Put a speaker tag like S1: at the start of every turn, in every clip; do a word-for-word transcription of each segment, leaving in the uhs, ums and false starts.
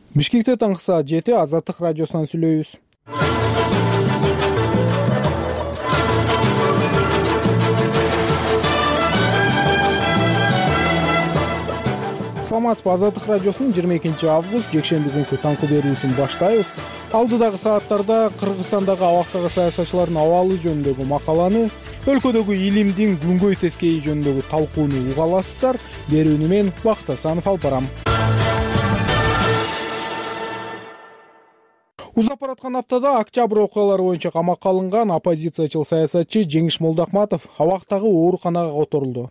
S1: Бишкекте таңкы саат жети Азаттык радиосунан сүйлөйбүз. Саламатсызбы, Азаттык радиосунун жыйырма экинчи август жекшемби күнкү таңкы берүүсүн баштайбыз. Алдыдагы сааттарда Кыргызстандагы абактагы саясатчылардын абалы жөнүндөгү макаланы, өлкөдөгү илимдин күнгөй тескейи жөнүндөгү талкууну уга аласыздар. Берүүнү мен Бакыт Асанов алып барам. Узап бараткан аптада октябрь окуялары боюнча камакка алынган оппозициячыл саясатчы Жеңиш Молдокматов абактагы ооруканага которулду.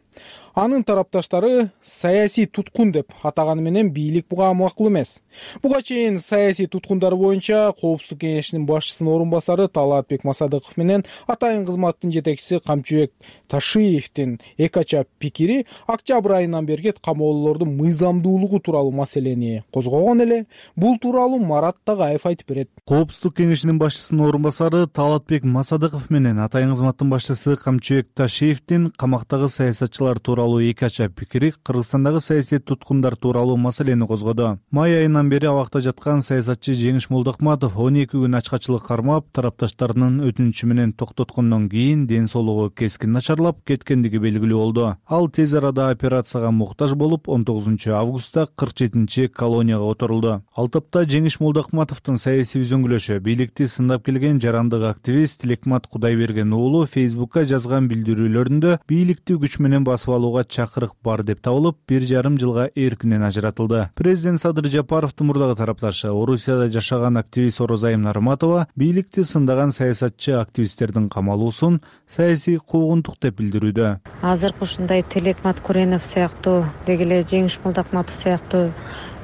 S1: Анын тарапташтары саясий туткун деп атаганы менен бийлик буга макул эмес. Буга чейин саясий туткундар боюнча Коопсуздук кеңешинин башчысынын орун басары Талаатбек Масадыков менен атайын кызматтын жетекчиси Камчыбек Ташиевдин эки ача пикири октябрь айынан берги камоолуулордун мыйзамдуулугу тууралуу маселени козгогон эле. Бул тууралуу Марат Тагаев айтып берет.
S2: Коопсуздук кеңешинин башчысынын орун басары Талаатбек Масадыков менен атайын кызматтын башчысы Камчыбек Ташиевдин камактагы саясатчылар тууралуу эки ача пикири Кыргызстандагы саясий туткундар тууралуу маселени козгоду. Май айынан бери абакта жаткан саясатчы Жеңиш Молдокматов он эки күн ачкачылык кармап, тарапташтарынын өтүнүчү менен токтоткондон кийин ден соолугу кескин начарлап кеткендиги белгилүү болду. Ал тез арада операцияга муктаж болуп, он тогузунчу августта кырк жетинчи колонияга отурулду. Ал тапта Жеңиш Молдокматовдун саясий үзөңгүлөшү бийликти сындап келген жарандык активист Тилекмат Кудайберген уулу Фейсбукка жазган билдирүүлөрүндө бийликти күч менен басып алууга чакырык бар деп табылып, бир жарым жылга эркинен ажыратылды. Президент Садыр Жапаровдун мурдагы тарапташы Орусияда жашаган активист Орозайым Нарматова бийликти сындаган саясатчы активисттердин камалуусун саясий куугунтук деп билдирүүдө.
S3: Азыркы ушундай Тилекмат Куренов сыяктуу, деги эле Жеңиш Молдокматов сыяктуу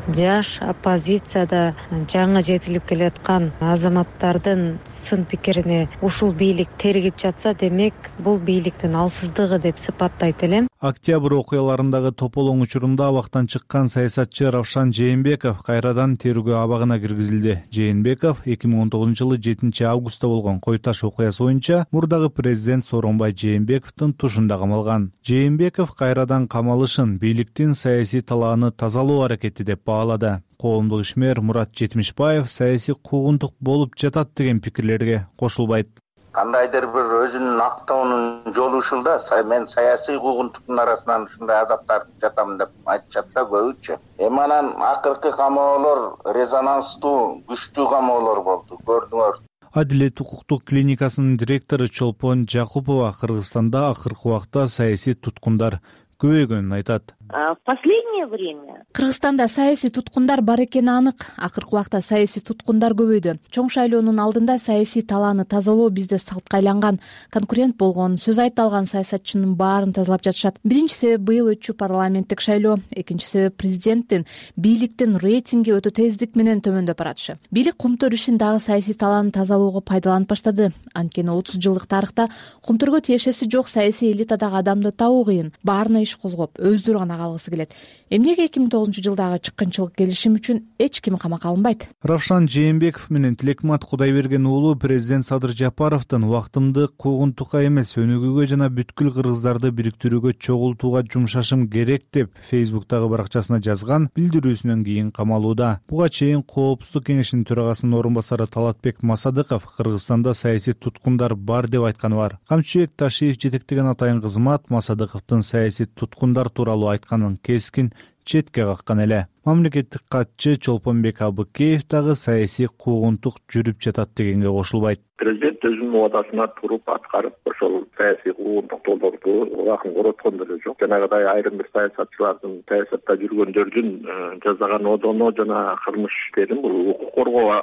S3: жаш оппозицияда жаңы жетилип келаткан азаматтардын сын пикирине ушул бийлик тергип жатса, демек бул бийликтин алсыздыгы деп сыпаттайт элем.
S2: Октябрь окуяларындагы тополоң учурунда абактан чыккан саясатчы Равшан Жээнбеков кайрадан тергөө абагына киргизилди. Жээнбеков эки миң он тогузунчу жылы жетинчи августта болгон Кой Таш окуясы боюнча мурдагы президент Сооронбай Жээнбековдун тушунда камалган. Жээнбеков кайрадан камалышын бийликтин саясий талааны тазалоо аракети деп баалады. Коомдук ишмер Мурат Жетимишбаев саясий куугунтук болуп жатат деген пикирлерге кошулбайт.
S4: Кандайдыр бир өзүнүн актоонун жолу ушул да, мен саясий куугунтуктун арасынан ушундай азап тартып жатам деп айтышат да көбүчө. Эми анан акыркы камоолор резонанстуу, күчтүү камоолор болду, көрдүңөр.
S2: Адилет укуктук клиникасынын директору Чолпон Жакупова Кыргызстанда акыркы убакта саясий туткундар көбөйгөнүн айтат.
S5: В последнее время
S6: Кыргызстанда саясий туткундар бар экени анык. Акыркы убакта саясий туткундар көбөйдү. Чоң шайлоонун алдында саясий талааны тазалоо бизде салтка айланган. Конкурент болгон, сөз айта алган саясатчынын баарын тазалап жатышат. Биринчи себеп быйыл өтчү парламенттик шайлоо, экинчи себеп президенттин бийликтин рейтинги өтө тездик менен төмөндөп баратышы. Бийлик Кумтөр ишин дагы саясий талааны тазалоого пайдаланып баштады. Анткени отуз жылдык тарыхта Кумтөргө тиешеси жок саясий элитадагы адамды табуу кыйын. Баарына иш козгоп, өздөрү гана калгысы келет. Эмнеге эки миң тогузунчу жылдагы чыккынчылык келишим үчүн эч ким камакка алынбайт?
S2: Равшан Жээнбеков менен Тилекмат Кудайберген уулу президент Садыр Жапаровдун убактымды куугунтукка эмес, өнүгүүгө жана бүткүл кыргыздарды бириктирүүгө чогултууга жумшашым керек деп Фейсбуктагы баракчасына жазган билдирүүсүнөн кийин камалууда. Буга чейин Коопсуздук кеңешинин төрагасынын орун басары Талаатбек Масадыков Кыргызстанда саясий туткундар бар деп айтканы бар. Камчыбек Ташиев жетектеген атайын кызмат Масадыковдун саясий туткундар тууралуу айтканын кескин четке каккан эле. Мамлекеттик катчы Чолпонбек Абыкеев дагы саясий куугунтук жүрүп жатат дегенге кошулбайт.
S7: Президент өзүнүн убадасына туруп аткарып, ошол саясий куугунтуктууларды убакын короткон деле жок. Жанагыдай айрым бир саясатчылардын, саясатта жүргөндөрдүн жасаган одоно жана кылмыш иштерин бул укук коргоо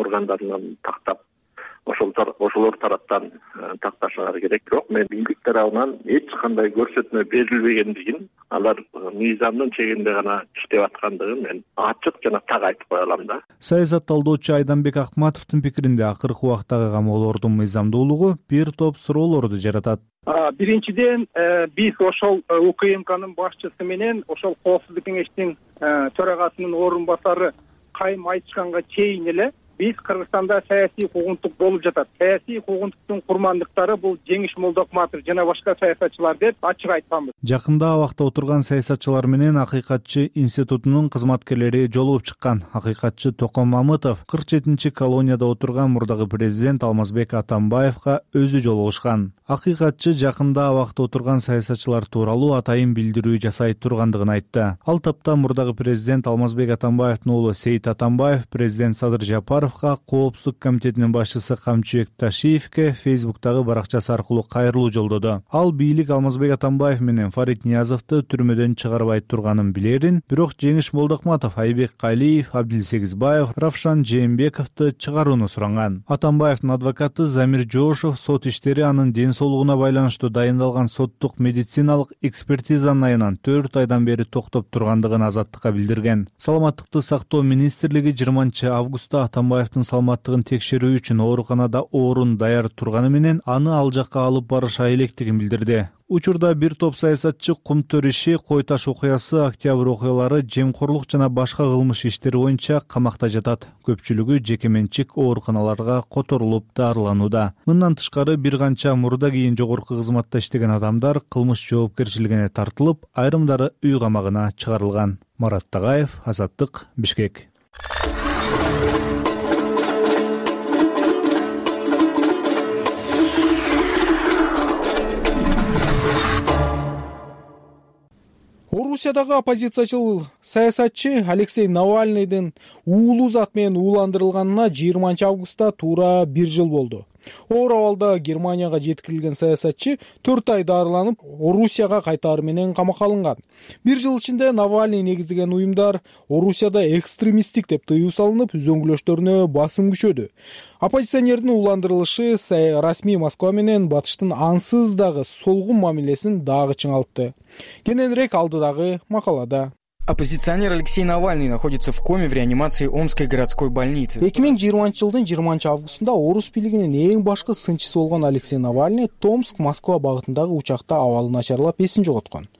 S7: органдарынан тактап, ошол ошолор тараптан такташыңар керек. Бирок мен бийлик тарабынан эч кандай көрсөтмө берилбегендигин, алар мыйзамдын чегинде гана иштеп аткандыгын мен ачык жана так айтып кое алам да.
S2: Саясат талдоочу Айданбек Акматовдун пикиринде акыркы убактагы камоолордун мыйзамдуулугу бир топ суроолорду жаратат.
S8: Биринчиден, биз ошол УКМКнын башчысы менен ошол Коопсуздук кеңештин төрагасынын орун басары кайым айтышканга чейин эле биз Кыргызстанда саясий куугунтук болуп жатат. Саясий куугунтуктун курмандыктары бул Жеңиш Молдокматов жана башка саясатчылар деп ачык айтканбыз.
S2: Жакында абакта отурган саясатчылар менен Акыйкатчы институтунун кызматкерлери жолугуп чыккан. Акыйкатчы Токон Мамытов кырк жетинчи колонияда отурган мурдагы президент Алмазбек Атамбаевга өзү жолугушкан. Акыйкатчы жакында абакта отурган саясатчылар тууралуу атайын билдирүү жасай тургандыгын айтты. Ал тапта мурдагы президент Алмазбек Атамбаевдин уулу Сейит Атамбаев президент Садыр Жапаровго Коопсуздук комитетинин башчысы Камчыбек Ташиевге Фейсбуктагы баракчасы аркылуу кайрылуу жолдоду. Ал бийлик Алмазбек Атамбаев менен Фарид Ниязовду түрмөдөн чыгарбай турганын билерин, бирок Жеңиш Молдокматов, Айбек Калиев, Абдилсегизбаев, Равшан Жээнбековду чыгарууну суранган. Атамбаевдин адвокаты Замир Жошов сот иштери анын ден соолугуна байланыштуу дайындалган соттук медициналык экспертизанын айынан төрт айдан бери токтоп тургандыгын Азаттыкка билдирген. Саламаттыкты сактоо министрлиги жыйырманчы августта Атамбаевдин саламаттыгын текшерүү үчүн ооруканада орун даяр турганы менен аны ал жакка алып барыша электигин билдирди. Учурда бир топ саясатчы Кумтөр иши, Кой Таш окуясы, Октябрь окуялары, жемкорлук жана башка кылмыш иштери боюнча камакта жатат. Көпчүлүгү жеке менчик ооруканаларга которулуп дарыланууда. Мындан тышкары бир канча мурда кийин жогорку кызматта иштеген адамдар кылмыш жоопкерчилигине тартылып, айрымдары үй камагына чыгарылган. Марат Тагаев, Азаттык, Бишкек.
S1: Орусиядагы оппозициячыл саясатчы Алексей Навальныйдын уулу зат менен ууландырылганына жыйырманчы августта туура бир жыл болду. Оор абалда Германияга жеткирилген саясатчы төрт ай дарыланып, Орусияга кайтаары менен камакка алынган. Бир жыл ичинде Навальный негиздеген уюмдар Орусияда экстремисттик деп тыюу салынып, үзөңгүлөштөрүнө басым күчөдү. Оппозиционердин ууландырылышы расмий Москва менен Батыштын ансыз дагы солгун мамилесин дагы чыңалтты. Кененирээк алдыдагы макалада.
S9: Оппозиционер Алексей Навальный находится в коме в реанимации Омской городской больницы.
S1: эки миң жыйырманчы жылдын жыйырманчы августунда орус бийлигинин эң башкы сынчысы болгон Алексей Навальный Томск, Москва багытындагы учакта абалы начарлап эсин жоготкон.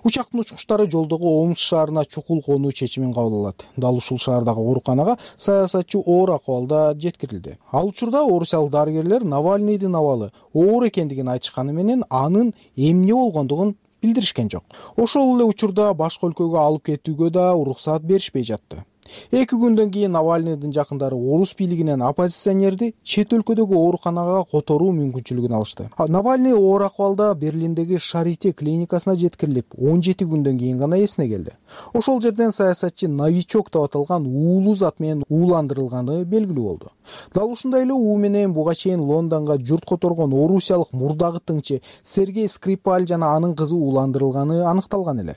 S1: Учактын учкучтары жолдогу Омск шаарына чукул конуу чечимин кабыл алат. Дал ушул шаардагы ооруканага саясатчы оор акыбалда жеткирилди. Ал учурда орусиялык дарыгерлер Навальныйдын абалы оор экендигин айтышканы менен анын эмне болгондугун билдиришкен жок. Ошол эле учурда башка өлкөгө алып кетүүгө да уруксаат беришпей жатты. Эки күндөн кийин Навальныйдын жакындары орус бийлигинен оппозиционерди чет өлкөдөгү ооруканага которуу мүмкүнчүлүгүн алышты. Навальный оор акыбалда Берлиндеги Шарите клиникасына жеткирилип, он жети күндөн кийин гана эсине келди. Ошол жерден саясатчы новичок деп аталган уулу зат менен ууландырылганы белгилүү болду. Дал ушундай эле уу менен буга чейин Лондонго журт которгон орусиялык мурдагы тыңчы Сергей Скрипаль жана анын кызы ууландырылганы аныкталган эле.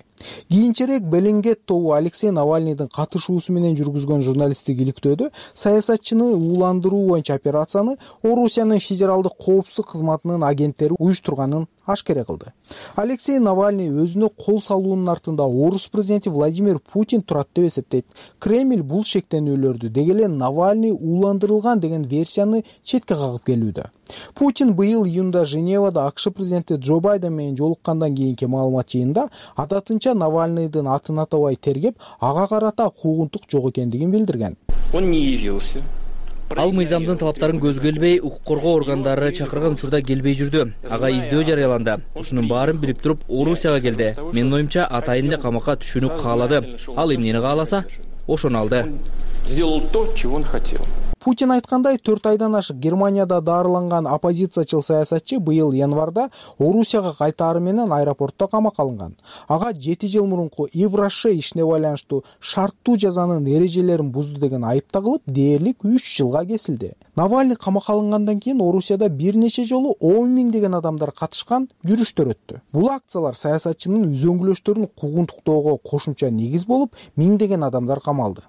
S1: Кийинчерээк Беллингет тобу Алексей Навальныйдын катышуусу менен жүргүзгөн журналисттик иликтөөдө саясатчыны ууландыруу боюнча операцияны Орусиянын федералдык коопсуздук кызматынын агенттери уюштурганын ашкере кылды. Алексей Навальный өзүнө кол салуунун артында орус президенти Владимир Путин турат деп эсептейт. Кремль бул шектенүүлөрдү деги эле Навальный ууландырылган деген версияны четке кагып келүүдө. Путин быйыл июнда Женевада АКШ президенти Джо Байден менен жолуккандан кийинки маалымат жыйынында адатынча Навальныйдын атын атабай тергеп, ага карата куугунтук жок экендигин билдирген.
S10: Он не явился. Ал мыйзамдын талаптарын көзгө илбей, укук коргоо органдары чакырган учурда келбей жүрдү. Ага издөө жарыяланды. Ушунун баарын билип туруп, Орусияга келди. Менин оюмча, атайын эле камакка түшүүнү каалады. Ал эмнени кааласа, ошону алды.
S11: Сделал то, чего он хотел.
S1: Путин айткандай, төрт айдан ашык Германияда дарыланган оппозициячыл саясатчы быйыл январда Орусияга кайтаары менен аэропортто камакка алынган. Ага жети жыл мурунку Ивроше ишине байланыштуу шарттуу жазанын эрежелерин бузду деген айып тагылып, дээрлик үч жылга кесилди. Навальный камакка алынгандан кийин Орусияда бир нече жолу он миңдеген адамдар катышкан жүрүштөр өттү. Бул акциялар саясатчынын үзөңгүлөштөрүн куугунтуктоого кошумча негиз болуп, миңдеген адамдар камалды.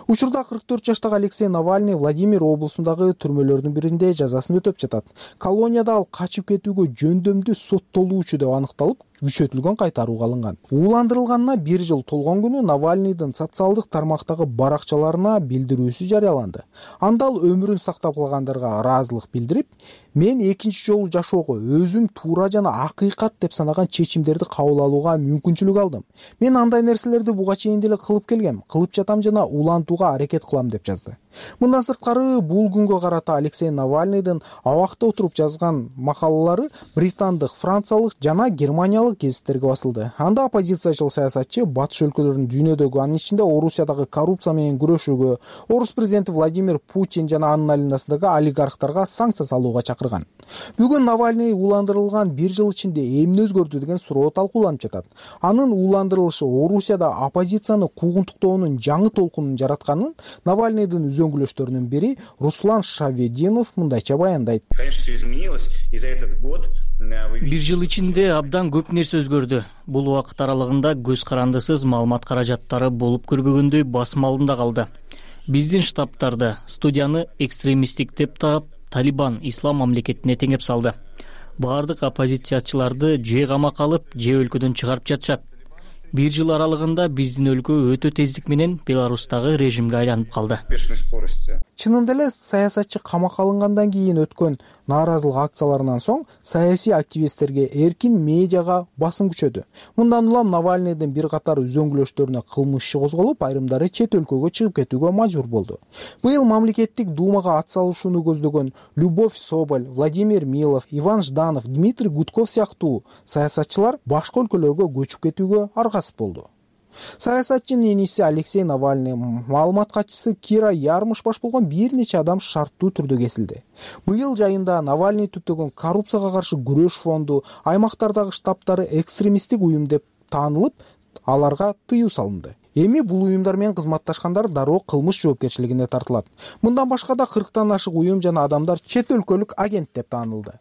S1: Учурда кырк төрт жаштагы Алексей Навальный Владимир облусундагы түрмөлөрдүн биринде жазасын өтөп жатат. Колонияда ал качып кетүүгө жөндөмдүү соттолуучу деп аныкталып, күчөтүлгөн кайтарууга алынган. Ууландырылганына бир жыл толгон күнү Навальныйдын социалдык тармактагы баракчаларына билдирүүсү жарыяланды. Анда ал өмүрүн сактап калгандарга ыраазылык билдирип, мен экинчи жолу жашоого өзүм туура жана акыйкат деп санаган чечимдерди кабыл алууга мүмкүнчүлүк алдым. Мен андай нерселерди буга чейин деле кылып келгем, кылып жатам жана улантууга аракет кылам деп жазды. Мындан сырткары бул күнгө карата Алексей Навальныйдын абакта отуруп жазган макалалары британдык, франциялык жана германиялык гезиттерге басылды. Анда оппозициячыл саясатчы батыш өлкөлөрүнүн дүйнөдөгү, анын ичинде Орусиядагы коррупция менен күрөшүүгө, орус президенти Владимир Путин жана анын айланасындагы олигархтарга санкция салууга чакырган. Бүгүн Навальный ууландырылган бир жыл ичинде эмне өзгөрдү деген суроо талкууланып жатат. Анын ууландырылышы Орусияда оппозицияны куугунтуктоонун жаңы толкунун жаратканын Навальныйдын үзөңгүлөштөрүнүн бири Руслан Шавединов мындайча баяндайт.
S12: Бир жыл ичинде абдан көп нерсе өзгөрдү. Бул убакыт аралыгында көз карандысыз маалымат каражаттары болуп көрбөгөндөй басым алдында калды. Биздин штабтарды, студияны экстремисттик деп таап, Талибан ислам мамлекетине теңеп салды. Баардык оппозициячыларды же камакка алып, же өлкөдөн чыгарып жатышат. Бир жыл аралыгында биздин өлкө өтө тездик менен Беларустагы режимге айланып калды.
S1: Чынында эле саясатчы камакка алынгандан кийин өткөн нааразылык акцияларынан соң саясий активисттерге, эркин медиага басым күчөдү. Мындан улам Навальныйдын бир катар үзөңгүлөштөрүнө кылмыш иши козголуп, айрымдары чет өлкөгө чыгып кетүүгө мажбур болду. Быйыл мамлекеттик думага ат салышууну көздөгөн Любовь Соболь, Владимир Милов, Иван Жданов, Дмитрий Гудков сыяктуу саясатчылар башка өлкөлөргө көчүп кетүүгө аргасыз болду. Саясатчынын эниси Алексей Навальный, маалымат катчысы Кира Ярмыш баш болгон бир нече адам шарттуу түрдө кесилди. Быйыл жайында Навальный түптөгөн коррупцияга каршы күрөш фонду, аймактардагы штабтары экстремисттик уюм деп таанылып, аларга тыюу салынды. Эми бул уюмдар менен кызматташкандар дароо кылмыш жоопкерчилигине тартылат. Мындан башка да кырктан ашык уюм жана адамдар чет өлкөлүк агент деп таанылды.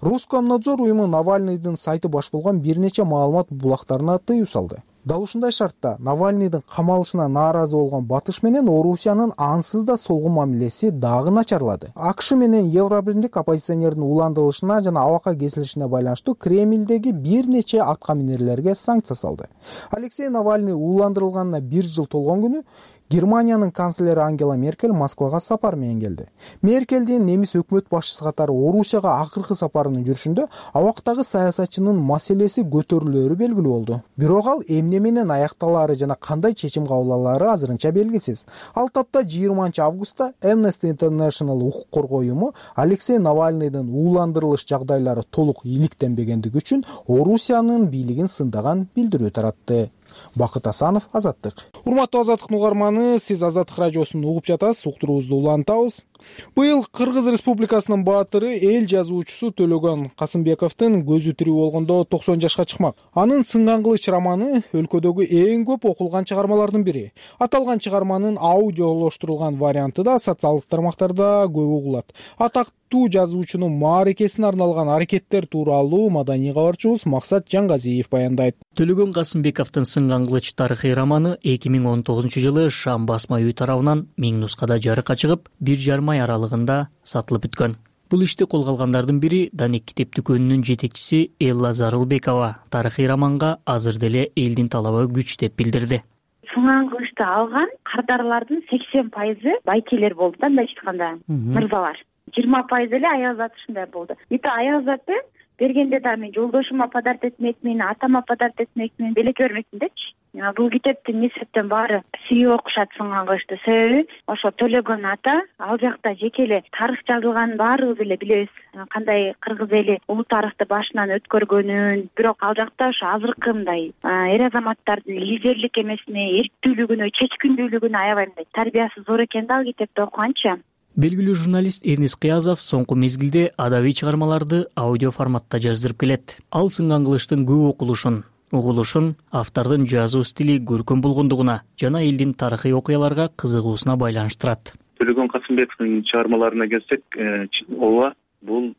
S1: Роскомнадзор уюму Навальныйдын сайты баш болгон бир нече маалымат булактарына тыюу салды. Дал ушундай шартта Навальныйдын камалышына нааразы болгон батыш менен Орусиянын ансыз да солгун мамилеси дагы начарлады. АКШ менен Евробирлик оппозиционердин ууландырылышына жана абакка кесилишине байланыштуу Кремлдеги бир нече атка минерлерге санкция салды. Алексей Навальный ууландырылганына бир жыл толгон күнү Германиянын канцлери Ангела Меркель Москвага сапар менен келди. Меркелдин немис өкмөт башчысы катары Орусияга акыркы сапарынын жүрүшүндө абактагы саясатчынын маселеси көтөрүлөөрү белгилүү болду. Бирок ал эмне менен аякталаары жана кандай чечим кабыл алаары азырынча белгисиз. Ал тапта жыйырманчы августта Amnesty International укук коргоо уюму Алексей Навальныйдын ууландырылыш жагдайлары толук иликтенбегендиги үчүн Орусиянын бийлигин сындаган билдирүү таратты. Бакыт Асанов, Азаттык. Урматтуу Азаттык угарманы, сиз Азаттык радиосун угуп жатасыз, уктуруубузду улантабыз. Быйыл Кыргыз Республикасынын баатыры, эл жазуучусу Төлөгөн Касымбековдун көзү тирүү болгондо токсон жашка чыкмак. Анын Сынган кылыч романы өлкөдөгү эң көп окулган чыгармалардын бири. Аталган чыгарманын аудиолоштурулган варианты да социалдык тармактарда көп угулат. Атактуу жазуучунун мааракесине арналган аракеттер тууралуу маданий кабарчыбыз Максат Жангазиев баяндайт.
S12: Төлөгөн Касымбековдун Сынган кылыч тарыхый романы эки миң он тогузунчу жылы Шам басма үй тарабынан миң нускада жарыкка чыгып, бир жарым ай аралыгында сатылып бүткөн. Бул ишти колго алгандардын бири Даник китеп дүкөнүнүн жетекчиси Элла Зарылбекова тарыхый романга азыр деле элдин талабы күч деп билдирди.
S5: Сынган кылычты алган кардарлардын сексен пайызы байкелер болду да, мындайча айтканда, мырзалар. жыйырма пайыз эле аял заты ушундай болду. Эти аял заты бергенде да мен жолдошума подарок этмекмин, атама подарок этмекмин, белек бермекмин депчи. Бул китептин несептен баары сүйүп окушат Сынган кылычты. Себеби ошо Төлөгөн ата ал жакта жеке эле тарых жазылганын баарыбыз эле билебиз. Кандай кыргыз эли улуу тарыхты башынан өткөргөнүн, бирок ал жакта ошо азыркы мындай эр азаматтардын лидерлик эмесине, эрктүүлүгүнө, чечкиндүүлүгүнө аябай мындай тарбиясы зор экен да ал китепти окуганча.
S12: Белгилүү журналист Эрнис Кыязов соңку мезгилде адабий чыгармаларды аудио форматта жаздырып келет. Ал Сынган кылычтын көп окулушун, угулушун автордун жазуу стили көркөм болгондугуна жана элдин тарыхый окуяларга кызыгуусуна байланыштырат.
S7: Төлөгөн Касымбековдун чыгармаларына келсек, ооба, бул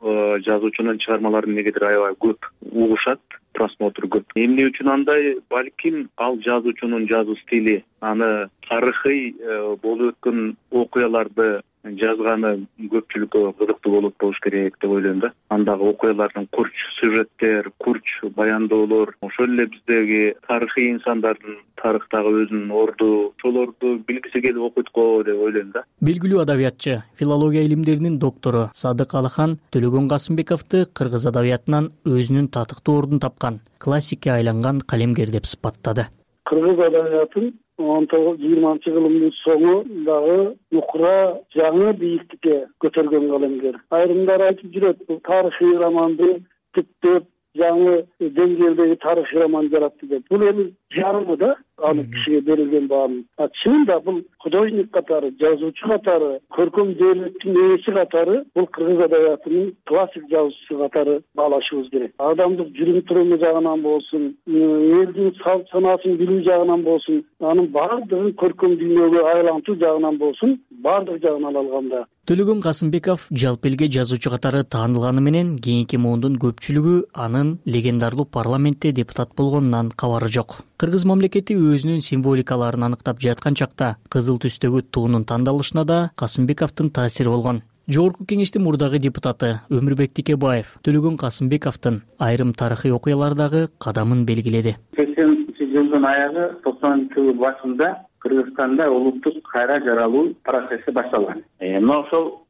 S7: жазуучунун чыгармалары негедир аябай көп угушат, просмотр көп. Эмне үчүн андай? Балким ал жазуучунун жазуу стили, аны тарыхый болуп өткөн окуяларды жазганы көпчүлүккө кызыктуу болуп болуш керек деп ойлойм да. Андагы окуялардын курч сюжеттер, курч баяндоолор, ошол эле биздеги тарыхый инсандардын тарыхтагы өзүнүн орду, ошолорду билгиси келип окуйт-го деп ойлойм да.
S12: Белгилүү адабиятчы, филология илимдеринин доктору Садык Алыхан Төлөгөн Касымбековду кыргыз адабиятынан өзүнүн татыктуу ордун тапкан, классикке айланган калемгер деп сыпаттады.
S13: Кыргыз адабиятын он тогуз жыйырманчы кылымдын соңу дагы нукура жаңы бийиктикке көтөргөн калемгер. Айрымдар айтып жүрөт, бул тарыхый романды түптөп жаңы деңгээлдеги тарыхый роман жаратты деп. Бул эми жарымы да аны кишиге берилген бааны. А чынында бул художник катары, жазуучу катары, көркөм дөөлөттүн ээси катары бул кыргыз адабиятынын классик жазуучусу катары баалашыбыз керек. Адамдык жүрүм туруму жагынан болсун, элдин салт санаасын билүү жагынан болсун, анын баардыгын көркөм дүйнөгө айлантуу жагынан болсун, баардык жагынан алганда
S12: Төлөгөн Касымбеков жалпы элге жазуучу катары таанылганы менен кийинки муундун көпчүлүгү анын легендарлуу парламентте депутат болгонунан кабары жок. Кыргыз мамлекети өзүнүн символикаларын аныктап жаткан чакта кызыл түстөгү туунун тандалышына да Касымбековдун таасири болгон. Жогорку кеңештин мурдагы депутаты Өмүрбек Тикебаев Төлөгөн Касымбековдун айрым тарыхый окуялардагы кадамын белгиледи.
S14: сексенинчи жылдын аягы токсонунчу жылдын башында Кыргызстанда улуттук кайра жаралуу процесси башталган. Мына ошол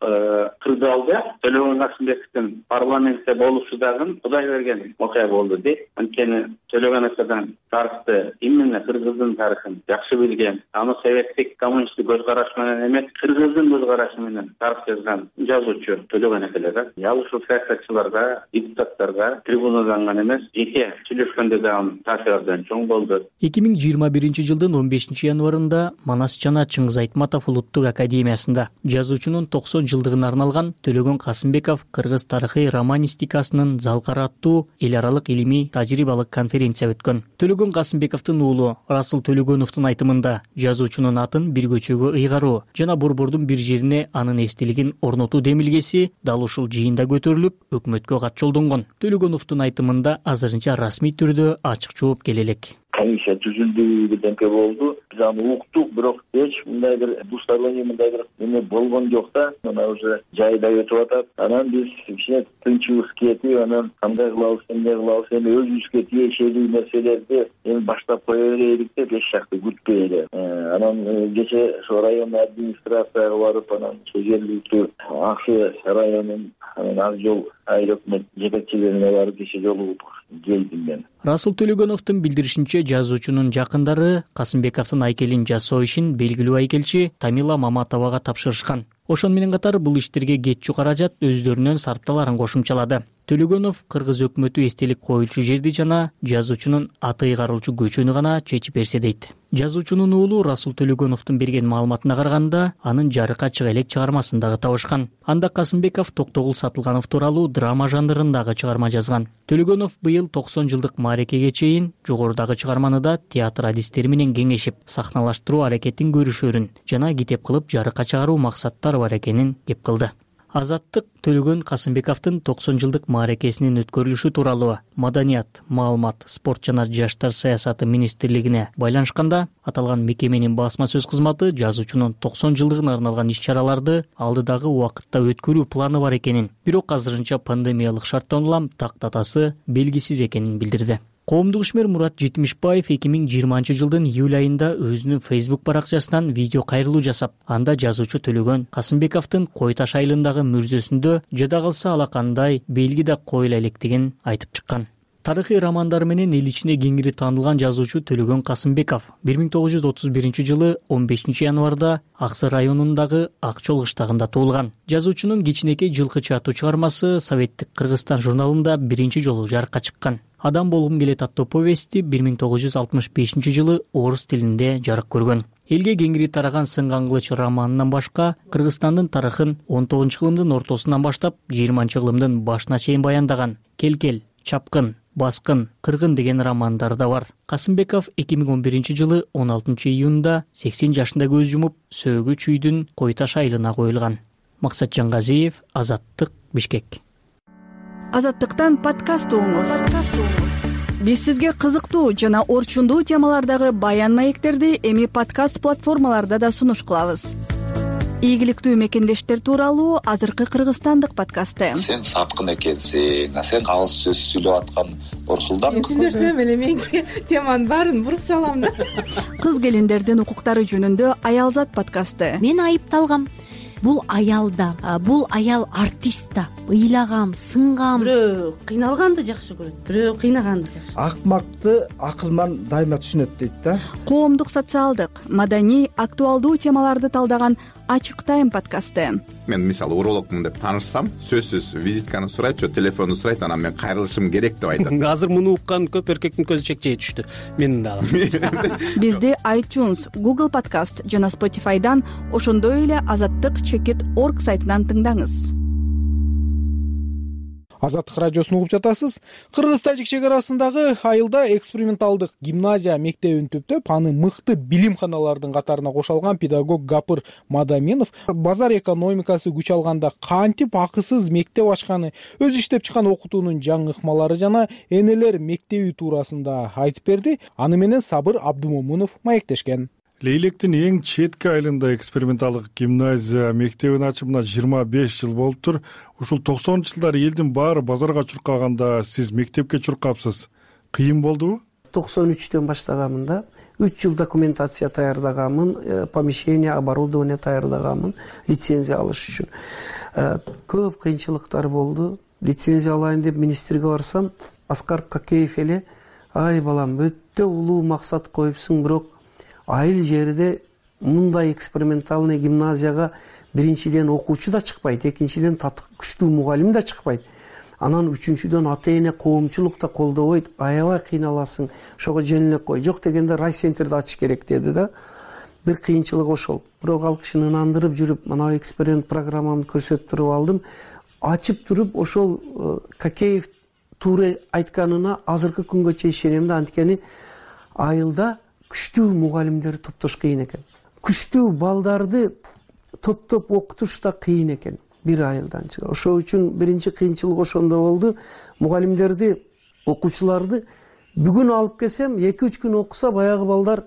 S14: кырдаалда Төлөгөн Касымбековдун парламентте болушу дагы Кудай берген окуя болду дейт. Анткени Төлөгөн акадан тарыхты, именно Кыргыздын тарыхын жакшы билген, аны советтик коммунисттик көз караш менен эмес, Кыргыздын көз карашы менен тарых жазган жазуучу Төлөгөн акалар. Ал ушул саясатчыларга, депутаттарга трибунадан гана эмес, жеке сүйлөшкөндө дагы таасирден чоң болду.
S12: эки миң жыйырма биринчи жылдын он бешинчи январында Манас жана Чыңгыз Айтматов улуттук академиясында жазуучунун токсон жылдыгына арналган Төлөгөн Касымбеков кыргыз тарыхый романистикасынын залкары аттуу эл аралык илимий тажрыйбалык конференция өткөн. Төлөгөн Касымбековдун уулу Расул Төлөгөновдун айтымында жазуучунун атын бир көчөгө ыйгаруу жана борбордун бир жерине анын эстелигин орнотуу демилгеси дал ушул жыйында көтөрүлүп, өкмөткө кат жолдонгон. Төлөгөновдун айтымында азырынча расмий түрдө ачык жооп келе элек.
S15: Комиссия түзүлдү, бирдемке болду. Биз аны уктук, бирок эч мындай бир двусторонний мындай бир эме болгон жок да. Мына уже жайда өтүп атат. Анан биз кичине тынчыбыз кетип, анан кандай кылабыз, эмне кылабыз, эми өзүбүзгө тиешелүү нерселерди эми баштап кое берелик деп эч жакты күтпөйлү. Анан кече ошо район администрацияга барып, анан жергиликтүү Аксы районунун Ак жол айыл өкмөт жетекчилерине барып кече жолугуп келдим мен.
S12: Расул Төлөгөновдун билдиришинче, жазуучунун жакындары Касымбековдун айкелин жасоо ишин белгилүү айкелчи Тамила Маматовага тапшырышкан. Ошон менен катар бул иштерге кетчү каражат өздөрүнүн сарпталарын кошумчалады. Төлөгөнов кыргыз өкмөтү эстелик коюлчу жерди жана жазуучунун аты ыйгарылчу көчөнү гана чечип берсе дейт. Жазуучунун уулу Расул Төлөгөновдун берген маалыматына караганда, анын жарыкка чыга элек чыгармасын дагы табышкан. Анда Касымбеков Токтогул Сатылганов тууралуу драма жанрындагы чыгарма жазган. Төлөгөнов быйыл токсон жылдык маарекеге чейин жогорудагы чыгарманы да театр адистери менен кеңешип, сахналаштыруу аракетин көрүшөрүн жана китеп кылып жарыкка чыгаруу максаттары бар экенин кеп кылды. Азаттык Төлөгөн Касымбековдун токсон жылдык маарекесинин өткөрүлүшү тууралуу Маданият, маалымат, спорт жана жаштар саясаты министрлигине байланышканда, аталган мекеменин басма сөз кызматы жазуучунун токсон жылдыгына арналган иш-чараларды алдыдагы убакытта өткөрүү планы бар экенин, бирок азырынча пандемиялык шарттан улам так датасы белгисиз экенин билдирди. Коомдук ишмер Мурат Жетимишбаев эки миң жыйырманчы жылдын июль айында өзүнүн Facebook баракчасынан видео кайрылуу жасап, анда жазуучу Төлөгөн Касымбековдун Кой Таш айылындагы мүрзөсүндө жада калса алакандай белги да коюла электигин айтып чыккан. Тарыхый романдары менен эл ичине кеңири таанылган жазуучу Төлөгөн Касымбеков бир миң тогуз жүз отуз биринчи жылы он бешинчи январда Аксы районундагы Акчол кыштагында туулган. Жазуучунун кичинекей жылкычы аттуу чыгармасы Советтик Кыргызстан журналында биринчи жолу жарыкка чыккан. Адам болгум келет аттуу повести бир миң тогуз жүз алтымыш бешинчи жылы орус тилинде жарык көргөн. Элге кеңири тараган Сынган кылыч романынан башка Кыргызстандын тарыхын он тогузунчу кылымдын ортосунан баштап жыйырманчы кылымдын башына чейин баяндаган Келкел, Чапкын, Баскын, Кыргын деген романдар да бар. Касымбеков эки миң он биринчи жылы он алтынчы июнда сексен жашында көз жумуп, сөөгү чүйдүн Кой Таш айылына коюлган. Максатжан Газиев, Азаттык, Бишкек.
S16: Азаттыктан подкаст угуңуз. Биз сизге кызыктуу жана орчундуу темалардагы баян маектерди эми подкаст платформаларда да сунуш кылабыз. Ийгиликтүү мекендештер тууралуу азыркы кыргызстандык подкасты.
S17: Сен саткын экенсиң, а сен алыс сөз сүйлөп аткан Орсулдан.
S18: Мен сүйлөсөм эле мен теманын баарын буруп салам да.
S16: Кыз келиндердин укуктары жөнүндө Аялзат подкасты.
S19: Мен айыпталгам. бул аял да, бул аял артист да. Ыйлагам, сынгам.
S18: Бирөө кыйналганды жакшы көрөт, бирөө кыйнаганды жакшы.
S20: Акмакты акылман дайыма түшүнөт дейт да.
S16: Коомдук, социалдык, маданий, актуалдуу темаларды талдаган Ачык Тайм подкасты.
S21: Мен мисалы урологмун деп таанышсам, сөзсүз визитканы сурайт, же телефонду сурайт, анан мен кайрылышым керек деп айтат.
S22: Азыр муну уккан көп эркектин көзү чекчей түштү. Менин дагы.
S16: Бизди iTunes, Google Podcast жана Spotify'дан, ошондой эле азаттык чекит точка орг сайтынан тыңдаңыз.
S1: Азаттык радиосун угуп жатасыз. Кыргыз-Тажик чек арасындагы айылда эксперименталдык гимназия мектебин түптөп, аны мыкты билимханалардын катарына кошо алган педагог Гапыр Мадаминов базар экономикасы күч алганда кантип акысыз мектеп ачканы, өз иштеп чыккан окутуунун жаңы ыкмалары жана энелер мектеби туурасында айтып берди. Аны менен Сабыр Абдумомунов маектешкен.
S23: Лейлектин эң четки айылында эксперименталдык гимназия мектебин ачымына жыйырма беш жыл болуптур. Ушул токсонунчу жылдары элдин баары базарга чуркаганда сиз мектепке чуркапсыз. Кыйын болдубу?
S24: токсон үчтөн баштаганмын да. үч жыл документация даярдаганмын, помещение, оборудование даярдаганмын, лицензия алыш үчүн. Көп кыйынчылыктар болду. Лицензия алайын деп министрге барсам, Аскар Какеев эле: "Ай балам, өтө улуу максат коюпсуң, бирок айыл жерде мындай экспериментальный гимназияга биринчиден окуучу да чыкпайт, экинчиден күчтүү мугалим да чыкпайт. Анан үчүнчүдөн ата эне, коомчулук да колдобойт, аябай кыйналасың, ошого жеңилеп кой. Жок дегенде райцентрди ачыш керек" деди да. Бир кыйынчылык ошол. Бирок ал кишини ынандырып жүрүп, мына эксперимент программамды көрсөтүп туруп алдым. Ачып туруп ошол Какеев туура айтканына азыркы күнгөчө ишенем да, анткени айылда күчтүү мугалимдерди топтош кыйын экен. Күчтүү балдарды топтоп окутуш да кыйын экен бир айылдан. Ошол үчүн биринчи кыйынчылык ошондо болду. Мугалимдерди, окуучуларды бүгүн алып келсем, эки үч күн окуса, баягы балдар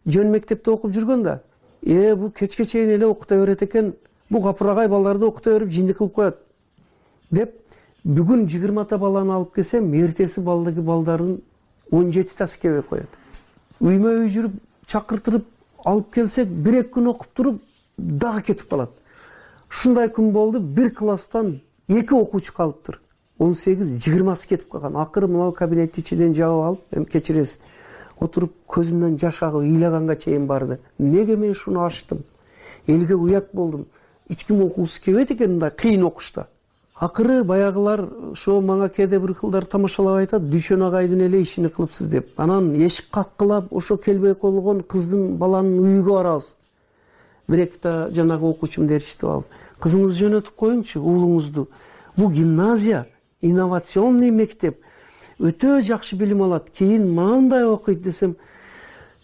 S24: жөн мектепте окуп жүргөн да. Э, бул кечке чейин эле окута берет экен. Бул капырагай балдарды окута берип жиндик кылып коет деп, бүгүн жыйырмата баланы алып келсем, эртеси балдыгы балдардын он жетита скебе коет. Үймө үй жүрүп, чакыртырып алып келсек, бир эки күн окуп туруп дагы кетип калат. Ушундай күн болду, бир класстан эки окуучу калыптыр. он сегиз жыйырмасы кетип калган. Акыры мына кабинеттин ичинен жабып алып, эми кечиресиз, отуруп көзүмдөн жаш агып ыйлаганга чейин барды. Неге мен шуну ачтым? Элге уят болдум. Эч ким окугусу келбейт экен мындай кыйын окушта. Акыры баягылар ошо мага кээде бир кылдар тамашалап айтат, Дүйшөн агайдын эле ишини кылыпсыз деп. Анан эшик каккылап, ошо келбей калган кыздын баланын үйүгө барабыз. Бир экта жанагы окуучумду ээрчитип алып, кызыңызды жөнөтүп коюңчу, уулуңузду. Бул гимназия, инновационный мектеп. Өтө жакшы билим алат. Кийин мындай окуйт десем,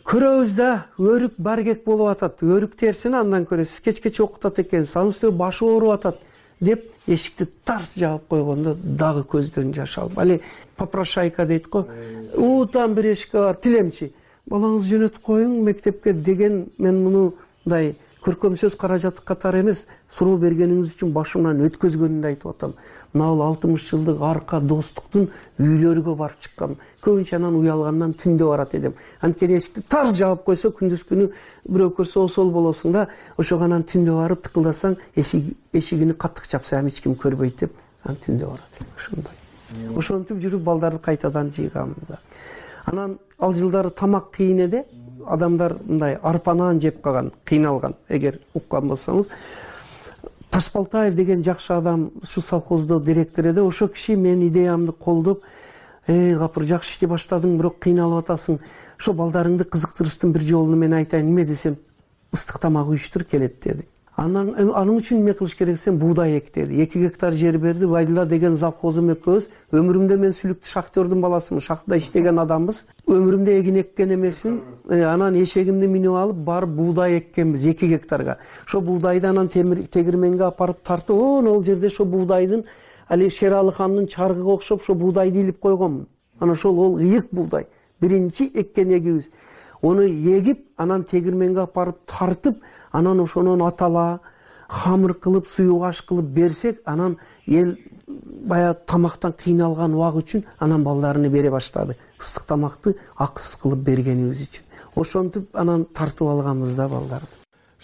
S24: көрөбүз да, өрүк баргек болуп атат. Өрүк терсини андан көрөсүз, кечкече окутат экен, анын үстүнө башы ооруп атат деп эшикти тарс жаап койгондо дагы көздөн жаш алып, али попрошайка дейт го. Уутан бир эшикке барып, тилемчи, балаңызды жөнөтүп коюң мектепке деген, мен мундай көркөм сөз каражаты катары эмес, суроо бергениңиз үчүн башымдан өткөзгөнүмдү айтып атам. Мына бул алтымыш жылдык арка достуктун үйлөрүгө барып чыккам. Көбүнчө анан уялгандан түндө барат эдим. Анткени эшикти тарс жаап койсо, күндүз күнү бирөө көрсө осол болосуң да, ошого анан түндө барып тыкылдасаң, эшигини каттык чапсам эч ким көрбөйт деп, анан түндө барат. Ошондой. Ошентип жүрүп балдарды кайтадан жыйганбыз да. Анан ал жылдары тамак кыйын эди. Адамдар мындай арпа нан жеп калган, кыйналган. Эгер уккан болсоңуз, Ташбалтаев деген жакшы адам ушу совхоздо директор эди. Ошо киши менин идеямды колдоп, "Эй, Гапыр, жакшы иштеп баштадың, бирок кыйналып атасың. Ошо балдарыңды кызыктырыштын бир жолуну мен айтайын, неме десем, ыстык тамак уюштур келет" деди. Анан аның үчүн эме кылыш керек десем, буудай эк деди. эки гектар жер берди. Байдыла деген завхозум экөөбүз. Өмүрүмдө мен сүлүктүү шахтердин баласымын, шахтада иштеген адамбыз. Өмүрүмдө эгин эккен эмесмин. Анан эшегимди минип алып, барып буудай эккенбиз эки гектарга. Ошо буудайды анан тегирменге апарып тартып, ол жерде ошо буудайдын али Шералы хандын чаргыга окшоп ошо буудайды илип койгонмун. Анан ошол ол ыйык буудай. Биринчи эккен эгибиз. Ону эгип, анан тегирменге апарып тартып, анан ошонун атала, хамыр кылып, суюгаш кылып берсек, анан эл баягы тамактан кыйналган убак үчүн анан балдарына бере баштады. Ыстык тамакты акысыз кылып бергенибиз үчүн. Ошентип анан тартып алганбыз да балдарды.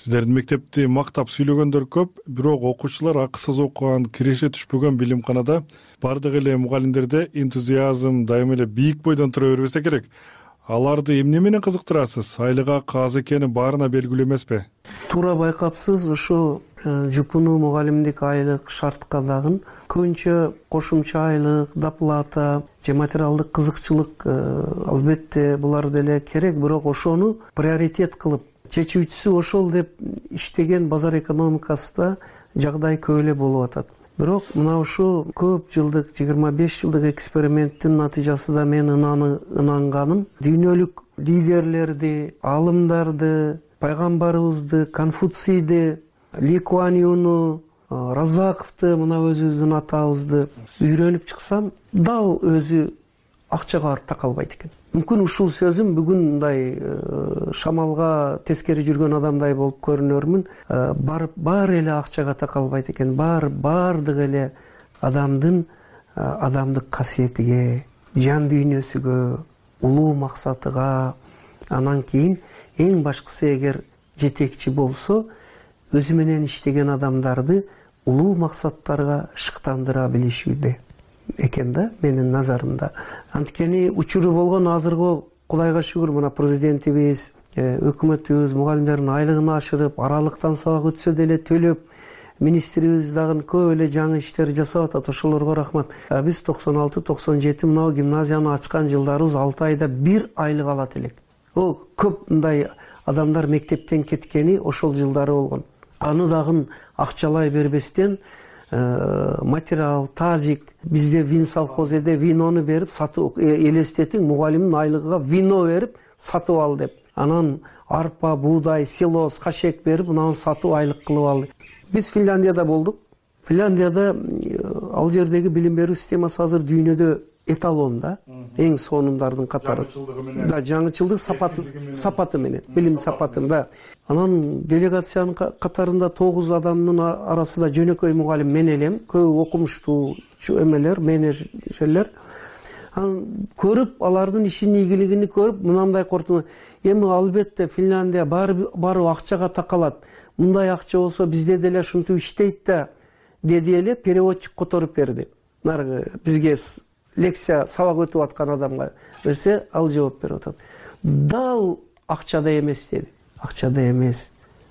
S23: Сиздердин мектепти мактап сүйлөгөндөр көп, бирок окуучулар акысыз окуган, киреше түшпөгөн билимканада бардык эле мугалимдерде энтузиазм дайыма эле бийик бойдон тура бербесе керек. Аларды эмне менен кызыктырасыз? Айлык акы аз экени баарына белгилүү эмеспи?
S24: Туура байкапсыз, ошо жупуну мугалимдик айлык шартка дагы көбүнчө кошумча айлык, доплата же материалдык кызыкчылык албетте булар деле керек, бирок ошону приоритет кылып чечүүчүсү ошол деп иштеген базар экономикасында жагдай көп эле болуп атат. Бирок мына ушу көп жылдык жыйырма беш жылдык эксперименттин натыйжасында мен ынанганым дүйнөлүк лидерлерди, аалымдарды, пайгамбарыбызды, Конфуцийди, Ли Куан Юну, Разаковду, мына өзүбүздүн атабызды үйрөнүп чыксам, дал өзү акчага барып такалбайт экен. Мүмкүн ушул сөзүм бүгүн мындай шамалга тескери жүргөн адамдай болуп көрүнөрмүн. Барып баары эле акчага такалбайт экен. Баары баардык эле адамдын адамдык касиетиге, жан дүйнөсүгө, улуу максатыга, анан кийин эң башкысы эгер жетекчи болсо, өзү менен иштеген адамдарды улуу максаттарга шыктандыра билишүүдө экен да, менин назарымда. Анткени учуру болгон азыркы Кудайга шүгүр, мына президентибиз, өкмөтүбүз мугалимдердин айлыгын ашырып, аралыктан сабак өтсө деле төлөп, министрибиз дагы көп эле жаңы иштер жасап атат. Ошолорго рахмат. Биз токсон алты токсон жети мына гимназияны ачкан жылдарыбыз алты айда бир айлык алат элек. О, көп мындай адамдар мектептен кеткени ошол жылдары болгон. Аны дагы акчалай бербестен материал, тазик, бизде вин совхозеде винону берип сатып, элестетиң, мугалимдин айлыгыга вино берип сатып ал деп. Анан арпа, буудай, силос, кашек берип, мынаны сатып айлык кылып алды. Биз Финляндияда болдук. Финляндияда ал жердеги билим берүү системасы азыр дүйнөдө эталон да, эң сонундардын катары. Да, жаңычылдык сапаты сапаты менен, билим сапатында. Анан делегациянын катарында тогуз адамдын арасында жөнөкөй мугалим мен элем, көп окумуштуу эмелер, менеджерлер. Анан көрүп, алардын ишинин ийгилигин көрүп, мынандай кортуна, эми албетте Финляндия баары акчага такалат. Мындай акча болсо бизде деле ушинтип иштейт да, деди эле переводчик которуп берди. Наргы бизге лекция сабак өтүп аткан адамга берсе, ал жооп берип атат. Дал акчада эмес деди. Акчада эмес,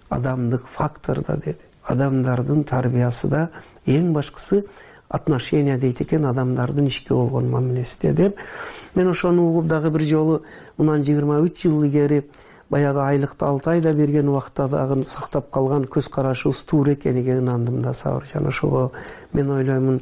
S24: адамдык факторда деди. Адамдардын тарбиясы да, эң башкысы отношения дейт экен, адамдардын ишке болгон мамилеси деди. Мен ошону угуп дагы бир жолу мындан жыйырма үч жыл илгери баягы айлыкты алты айда берген убакта дагы сактап калган көз карашыбыз туура экениге ынандым да, Сабыржан. Ошого мен ойлоймун,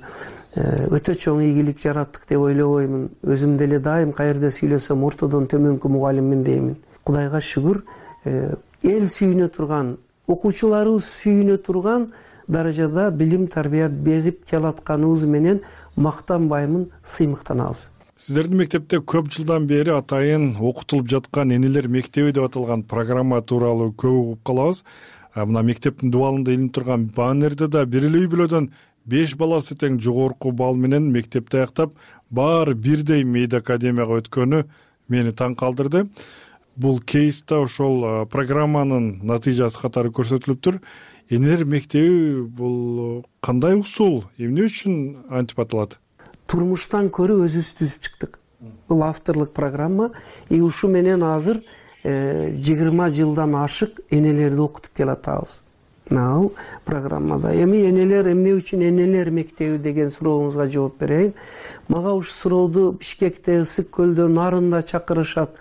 S24: өтө чоң ийгилик жараттык деп ойлобоймун. Өзүм деле дайым каерде сүйлөсөм ортодон төмөнкү мугалиммин деймин. Кудайга шүгүр, эл сүйүнө турган, окуучуларыбыз сүйүнө турган даражада билим тарбия берип келатканыбыз менен мактанбаймын, сыймыктанабыз.
S23: Сиздердин мектепте көп жылдан бери атайын окутулуп жаткан энелер мектеби деп аталган программа тууралуу көп угуп калабыз. Мына мектептин дубалында илинип турган баннерде да бир эле үй бүлөдөн беш баласы тең жогорку балл менен мектепти аяктап, баары бирдей мейди академияга өткөнү мени таң калтырды. Бул кейста ошол программанын натыйжасы катары көрсөтүлүптүр. Энелер мектеби бул кандай усул, эмне үчүн антип аталат?
S24: Турмуштан көрүп өзүбүз түзүп чыктык. Бул авторлук программа, и ушу менен азыр жыйырма жылдан ашык энелерди окутуп келатабыз. Ал программада эми энелер эмне үчүн энелер мектеби деген сурооңузга жооп берейин. Мага ушу сурооду Бишкекте, Ысык көлдө, Нарында чакырышат.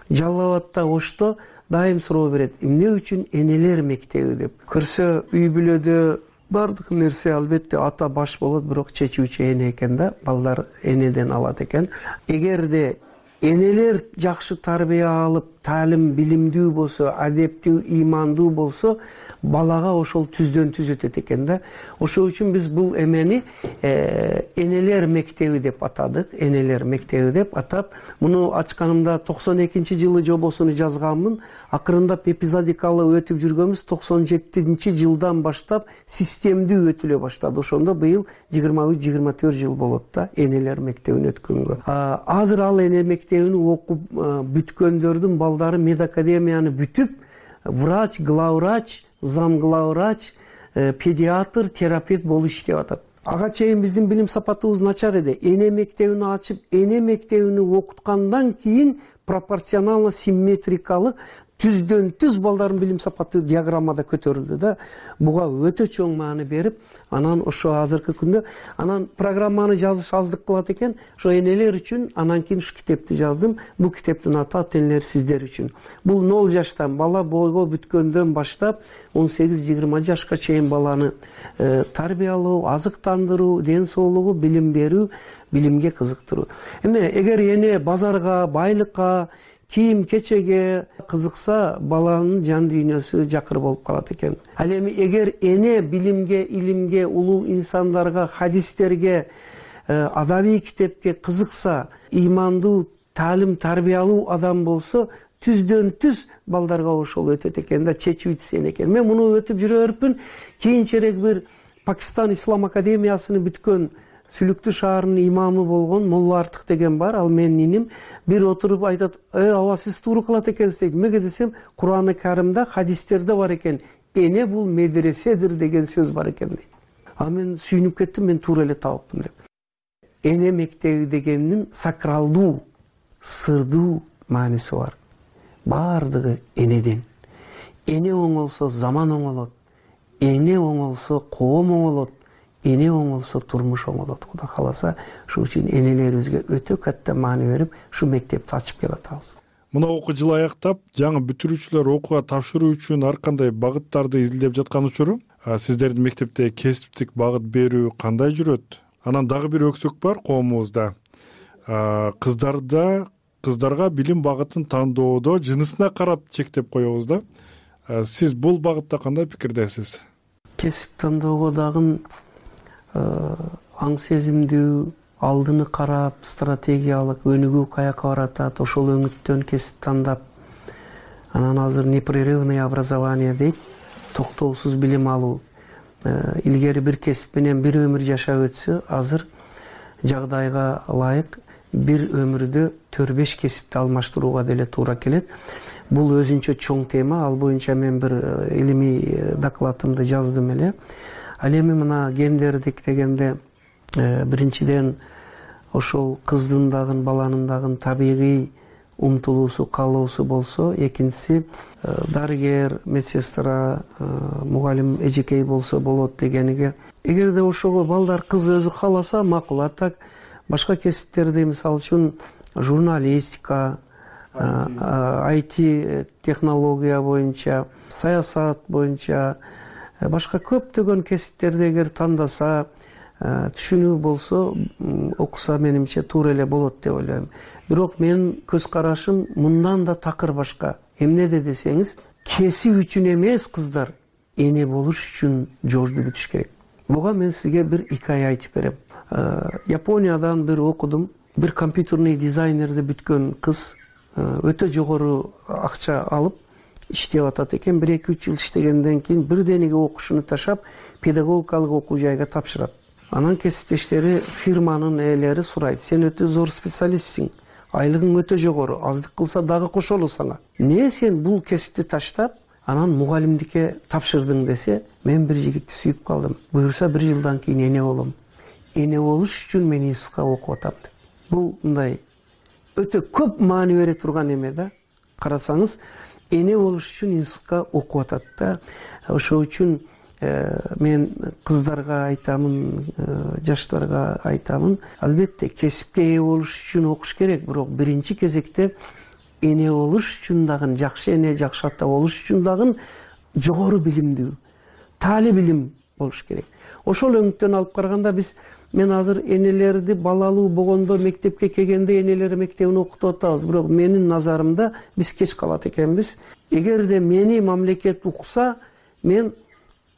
S24: Жалал Абадта, Ошто дайым суроо берет. Эмне үчүн энелер мектеби деп. Көрсө үй бүлөдө бардык нерсе албетте ата баш болот, бирок чечүүчү эне экен да, балдар энеден алат экен. Эгерде энелер жакшы тарбия алып, таалим билимдүү болсо, адептүү, ыймандуу болсо, балага ошол түздөн түз өтөт экен да. Ошол үчүн биз бул эмени энелер мектеби деп атадык. Энелер мектеби деп атап, муну ачканымда токсон экинчи жылы жобосуну жазганмын. Акырындап эпизодикалуу өтүп жүргөнбүз. токсон жетинчи жылдан баштап системдүү өтүлө баштады. Ошондо быйыл жыйырма үч жыйырма төрт жыл болот да энелер мектебин өткөнгө. Азыр ал эне мектебин окуп бүткөндөрдүн балдары медакадемияны бүтүп, врач, главврач, зам главврач, педиатр, терапевт болуп иштеп атат. Ага чейин биздин билим сапатыбыз начар эди. Эне мектебин ачып, эне мектебини окуткандан кийин пропорционально симметрикалык түздөн түз балдардын билим сапаты диаграммада көтөрүлдү да. Буга өтө чоң маани берип, анан ошо азыркы күндө анан программаны жазыш аздык кылат экен. Ошо энелер үчүн анан кийин ушу китепти жаздым. Бул китептин аты ата энелер сиздер үчүн. Бул ноль жаштан бала бойго бүткөндөн баштап он сегиз жыйырма жашка чейин баланы тарбиялоо, азыктандыруу, ден соолугу, билим берүү, билимге кызыктыруу. Эми эгер эне базарга, байлыкка, кийим кечеге кызыкса, баланын жан дүйнөсү жакыр болуп калат экен. Ал эми эгер эне билимге, илимге, улуу инсандарга, хадистерге, адабий китепке кызыкса, ыймандуу, таалим тарбиялуу адам болсо, түздөн түз балдарга ошол өтөт экен да, чечип итсен экен. Мен муну өтүп жүрө берипмин. Кийинчерээк бир Пакистан Ислам академиясын бүткөн Сүлүктүү шаарынын имамы болгон Молла Артык деген бар, ал менин иним. Бир отуруп айтат: "Э, аба сиз туура кылат экенсиз" дейт. Эмнеге десем, Кур'аны Каримде, хадистерде бар экен. Эне бул медреседир деген сөз бар экен дейт. А мен сүйүнүп кеттим, мен туура эле табыппын деп. Эне мектеби дегендин сакралдуу, сырдуу мааниси бар. Бардыгы энеден. Эне оңолсо заман оңолот. Эне оңолсо коом оңолот. Эне оңолсо турмуш оңолот. Кудай кааласа, ошол үчүн энелерибизге өтө катта маани берип, ушу мектепти ачып келатабыз.
S23: Мына окуу жылы аяктап, жаңы бүтүрүүчүлөр окууга тапшыруу үчүн ар кандай багыттарды изилдеп жаткан учуру, сиздердин мектепте кесиптик багыт берүү кандай жүрөт? Анан дагы бир өксөк бар коомубузда. Кыздарда кыздарга билим багытын тандоодо жынысына карап чектеп коебуз да. Сиз бул багытта кандай пикирдесиз?
S24: Кесип тандоого дагы аң сезимдүү, алдыны карап, стратегиялык өнүгүү каяка баратат, ошол өңүттөн кесип тандап, анан азыр непрерывное образование дейт, токтоосуз билим алуу. Илгери бир кесип менен бир өмүр жашап өтсө, азыр жагдайга ылайык бир өмүрдө төрт беш кесипти алмаштырууга деле туура келет. Бул өзүнчө чоң тема, ал боюнча мен бир илимий докладымды жаздым эле. Ал эми мына гендердик дегенде биринчиден ошол кыздын дагы баланын дагы табигый умтулуусу, каалоосу болсо, экинчиси дарыгер, медсестра, мугалим, эжекей болсо болот дегениге. Эгерде ошого балдар кыз өзү кааласа макул. А так башка кесиптерди, мисалы үчүн журналистика, ай ти технология боюнча, саясат боюнча, башка көптөгөн кесиптерди эгер тандаса, түшүнүү болсо, окуса менимче туура эле болот деп ойлойм. Бирок менин көз карашым мындан да такыр башка. Эмнеде десеңиз, кесип үчүн эмес кыздар, эне болуш үчүн жолду бүтүш керек. Буга мен сизге бир икая айтып берем. Япониядан бир окудум. Бир компьютерный дизайнерди бүткөн кыз өтө жогору акча алып иштеп атат экен. бир эки үч жыл иштегенден кийин бирдениге окушуну ташап, педагогикалык окуу жайга тапшырат. Анан кесиптештери, фирманын ээлери сурайт: "Сен өтө зор специалистсиң, айлыгың өтө жогору, аздык кылса дагы кошолу сага. Эмне сен бул кесипти таштап, анан мугалимдикке тапшырдың" десе, мен бир жигитти сүйүп калдым. Буюрса бир жылдан кийин эне болом. Эне болуш үчүн мен институтка окуп атам деп. Бул мындай өтө көп маани бере турган эме да. Карасаңыз, эне болуш үчүн институтка окуп атат да. Ошол үчүн мен кыздарга айтамын, жаштарга айтамын, албетте кесипке ээ болуш үчүн окуш керек, бирок биринчи кезекте эне болуш үчүн дагы, жакшы эне, жакшы ата болуш үчүн дагы жогору билимдүү, таали билим болуш керек. Ошол өңүттөн алып караганда биз мен азыр энелерди балалуу болгондо мектепке келгенде энелер мектебин окутуп атабыз, бирок менин назарымда биз кеч калат экенбиз. Эгерде мени мамлекет укса, мен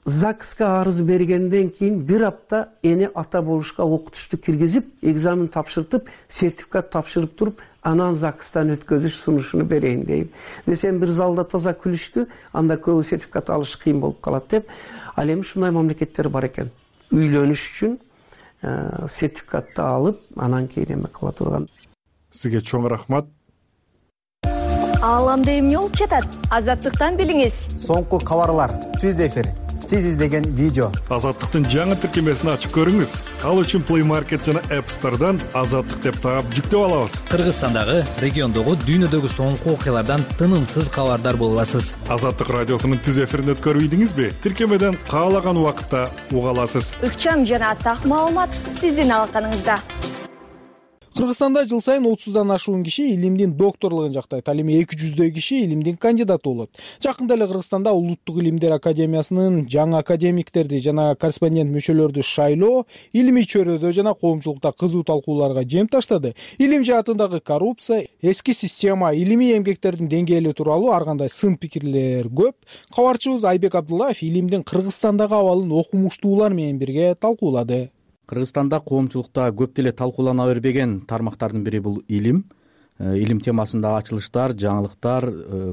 S24: ЗАГСка арыз бергенден кийин бир апта эне ата болушка окутушту киргизип, экзамен тапшыртып, сертификат тапшырып туруп, анан ЗАГСтан өткөзүш сунушуну берейин дейм. Десем бир залда таза күлүштү, анда көбү сертификат алыш кыйын болуп калат деп. Ал эми ушундай мамлекеттер бар экен. Үйлөнүш үчүн сертификатты алып, анан кийин эме кыла турган.
S23: Сизге чоң рахмат.
S16: Ааламда эмне болуп жатат? Азаттыктан билиңиз.
S3: Соңку кабарлар, түз эфир, сиз издеген видео.
S23: Азаттыктын жаңы тиркемесин ачып көрүңүз. Ал үчүн Play Market жана App Store'дан Азаттык деп таап жүктөп алабыз.
S10: Кыргызстандагы, региондогу, дүйнөдөгү соңку окуялардан тынымсыз кабардар боло аласыз.
S23: Азаттык радиосунун түз эфирин өткөрбөйдүңүзбү? Тиркемеден каалаган убакытта уга аласыз.
S16: Ыкчам жана так маалымат сиздин алаканыңызда.
S1: Кыргызстанда жыл сайын отуздан ашуун киши илимдин докторлугун жактайт. Ал эми эки жүздөй киши илимдин кандидаты болот. Жакында эле Кыргызстанда Улуттук илимдер академиясынын жаңы академиктерди жана корреспондент мүчөлөрдү шайлоо илимий чөйрөдө жана коомчулукта кызуу талкууларга жем таштады. Илим жаатындагы коррупция, эски система, илимий эмгектердин деңгээли тууралуу ар кандай сын пикирлер көп. Кабарчыбыз Айбек Абдуллаев илимдин Кыргызстандагы абалын окумуштуулар менен бирге талкуулады.
S2: Кыргызстанда коомчулукта көп деле талкуулана бербеген тармактардын бири бул илим. Илим темасындагы ачылыштар, жаңылыктар,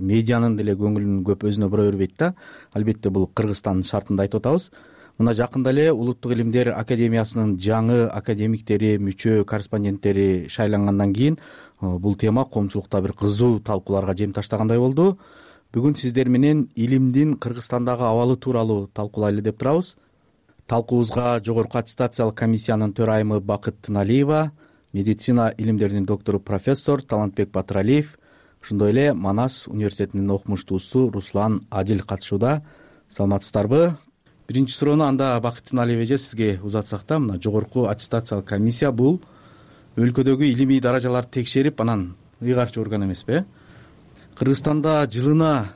S2: медианын деле көңүлүн көп өзүнө бура бербейт да. Албетте бул Кыргызстандын шартында айтып атабыз. Мына жакында эле Улуттук илимдер академиясынын жаңы академиктери, мүчө корреспонденттери шайлангандан кийин бул тема коомчулукта бир кызуу талкууларга жем таштагандай болду. Бүгүн сиздер менен илимдин Кыргызстандагы абалы тууралуу талкуулайлы деп турабыз. Талкуубузга Жогорку аттестациялык комиссиянын төрайымы Бакыт Тыналиева, медицина илимдеринин доктору профессор Талантбек Батыралиев, ошондой эле Манас университетинин окумуштуусу Руслан Адил катышууда. Саламатсыздарбы? Биринчи суроону анда Бакыт Тыналиев эже сизге узатсак да, мына Жогорку аттестациялык комиссия бул өлкөдөгү илимий даражаларды текшерип, анан ыйгарчы орган эмеспи? Кыргызстанда жылына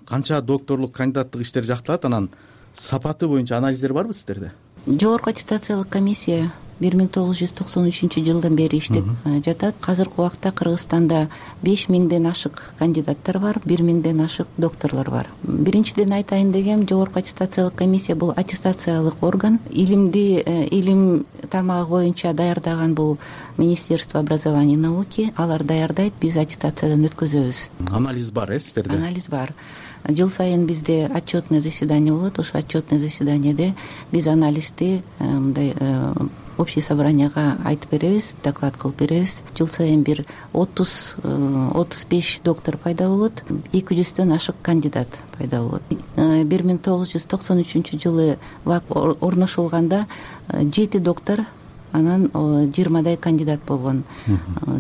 S2: канча докторлук, кандидаттык иштер жакталат, анан сапаты боюнча анализдер барбы сиздерде?
S4: Жогорку аттестациялык комиссия бир миң тогуз жүз токсон үчүнчү жылдан бери иштеп жатат. Азыркы убакта Кыргызстанда беш миңден ашык кандидаттар бар, бир миңден ашык докторлор бар. Биринчиден айтайын дегем, Жогорку аттестациялык комиссия бул аттестациялык орган. Илимди илим тармагы боюнча даярдаган бул Министерство образования и науки, алар даярдайт, биз аттестациядан өткөзөбүз.
S2: Анализ бар э сиздерде?
S4: Анализ бар. Жыл сайын бизде отчетный заседание болот. Ошо отчетный заседаниеде биз анализди мындай общий собранияга айтып беребиз, доклад кылып беребиз. Жыл сайын бир отуз отуз беш доктор пайда болот, эки жүздөн ашык кандидат пайда болот. бир миң тогуз жүз токсон үчүнчү жылы ВАК орношулганда жети доктор, анан жыйырмадай кандидат болгон.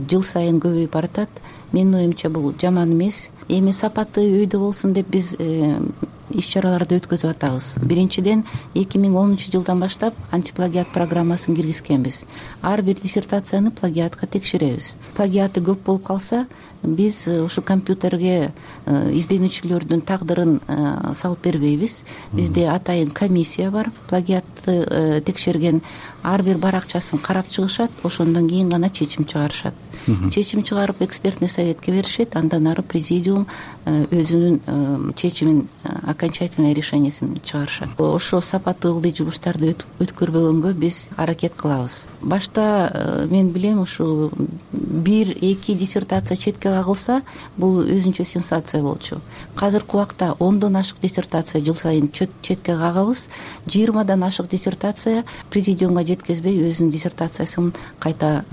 S4: Жыл сайын көбөйүп баратат. Менин оюмча бул жаман эмес. Эми сапаты өйдө болсун деп биз иш чараларды өткөзүп атабыз. Биринчиден эки миң онунчу жылдан баштап антиплагиат программасын киргизкенбиз. Ар бир диссертацияны плагиатка текшеребиз. Плагиаты көп болуп калса, биз ушу компьютерге изденүүчүлөрдүн тагдырын салып бербейбиз. Бизде атайын комиссия бар. Плагиатты текшерген ар бир баракчасын карап чыгышат, ошондон кийин гана чечим чыгарышат. Чечим чыгарып экспертный советке беришет, андан ары президиум өзүнүн чечимин, окончательный решениесин чыгарышат. Ошо сапаты ылдый жумуштарды өткөрбөгөнгө биз аракет кылабыз. Башта мен билем, ушу бир эки диссертация четке кагылса, бул өзүнчө сенсация болчу. Азыркы убакта ондон ашык диссертация жыл сайын четке кагабыз. жыйырмадан ашык диссертация президиумга жеткезбей өзүнүн диссертациясын кайта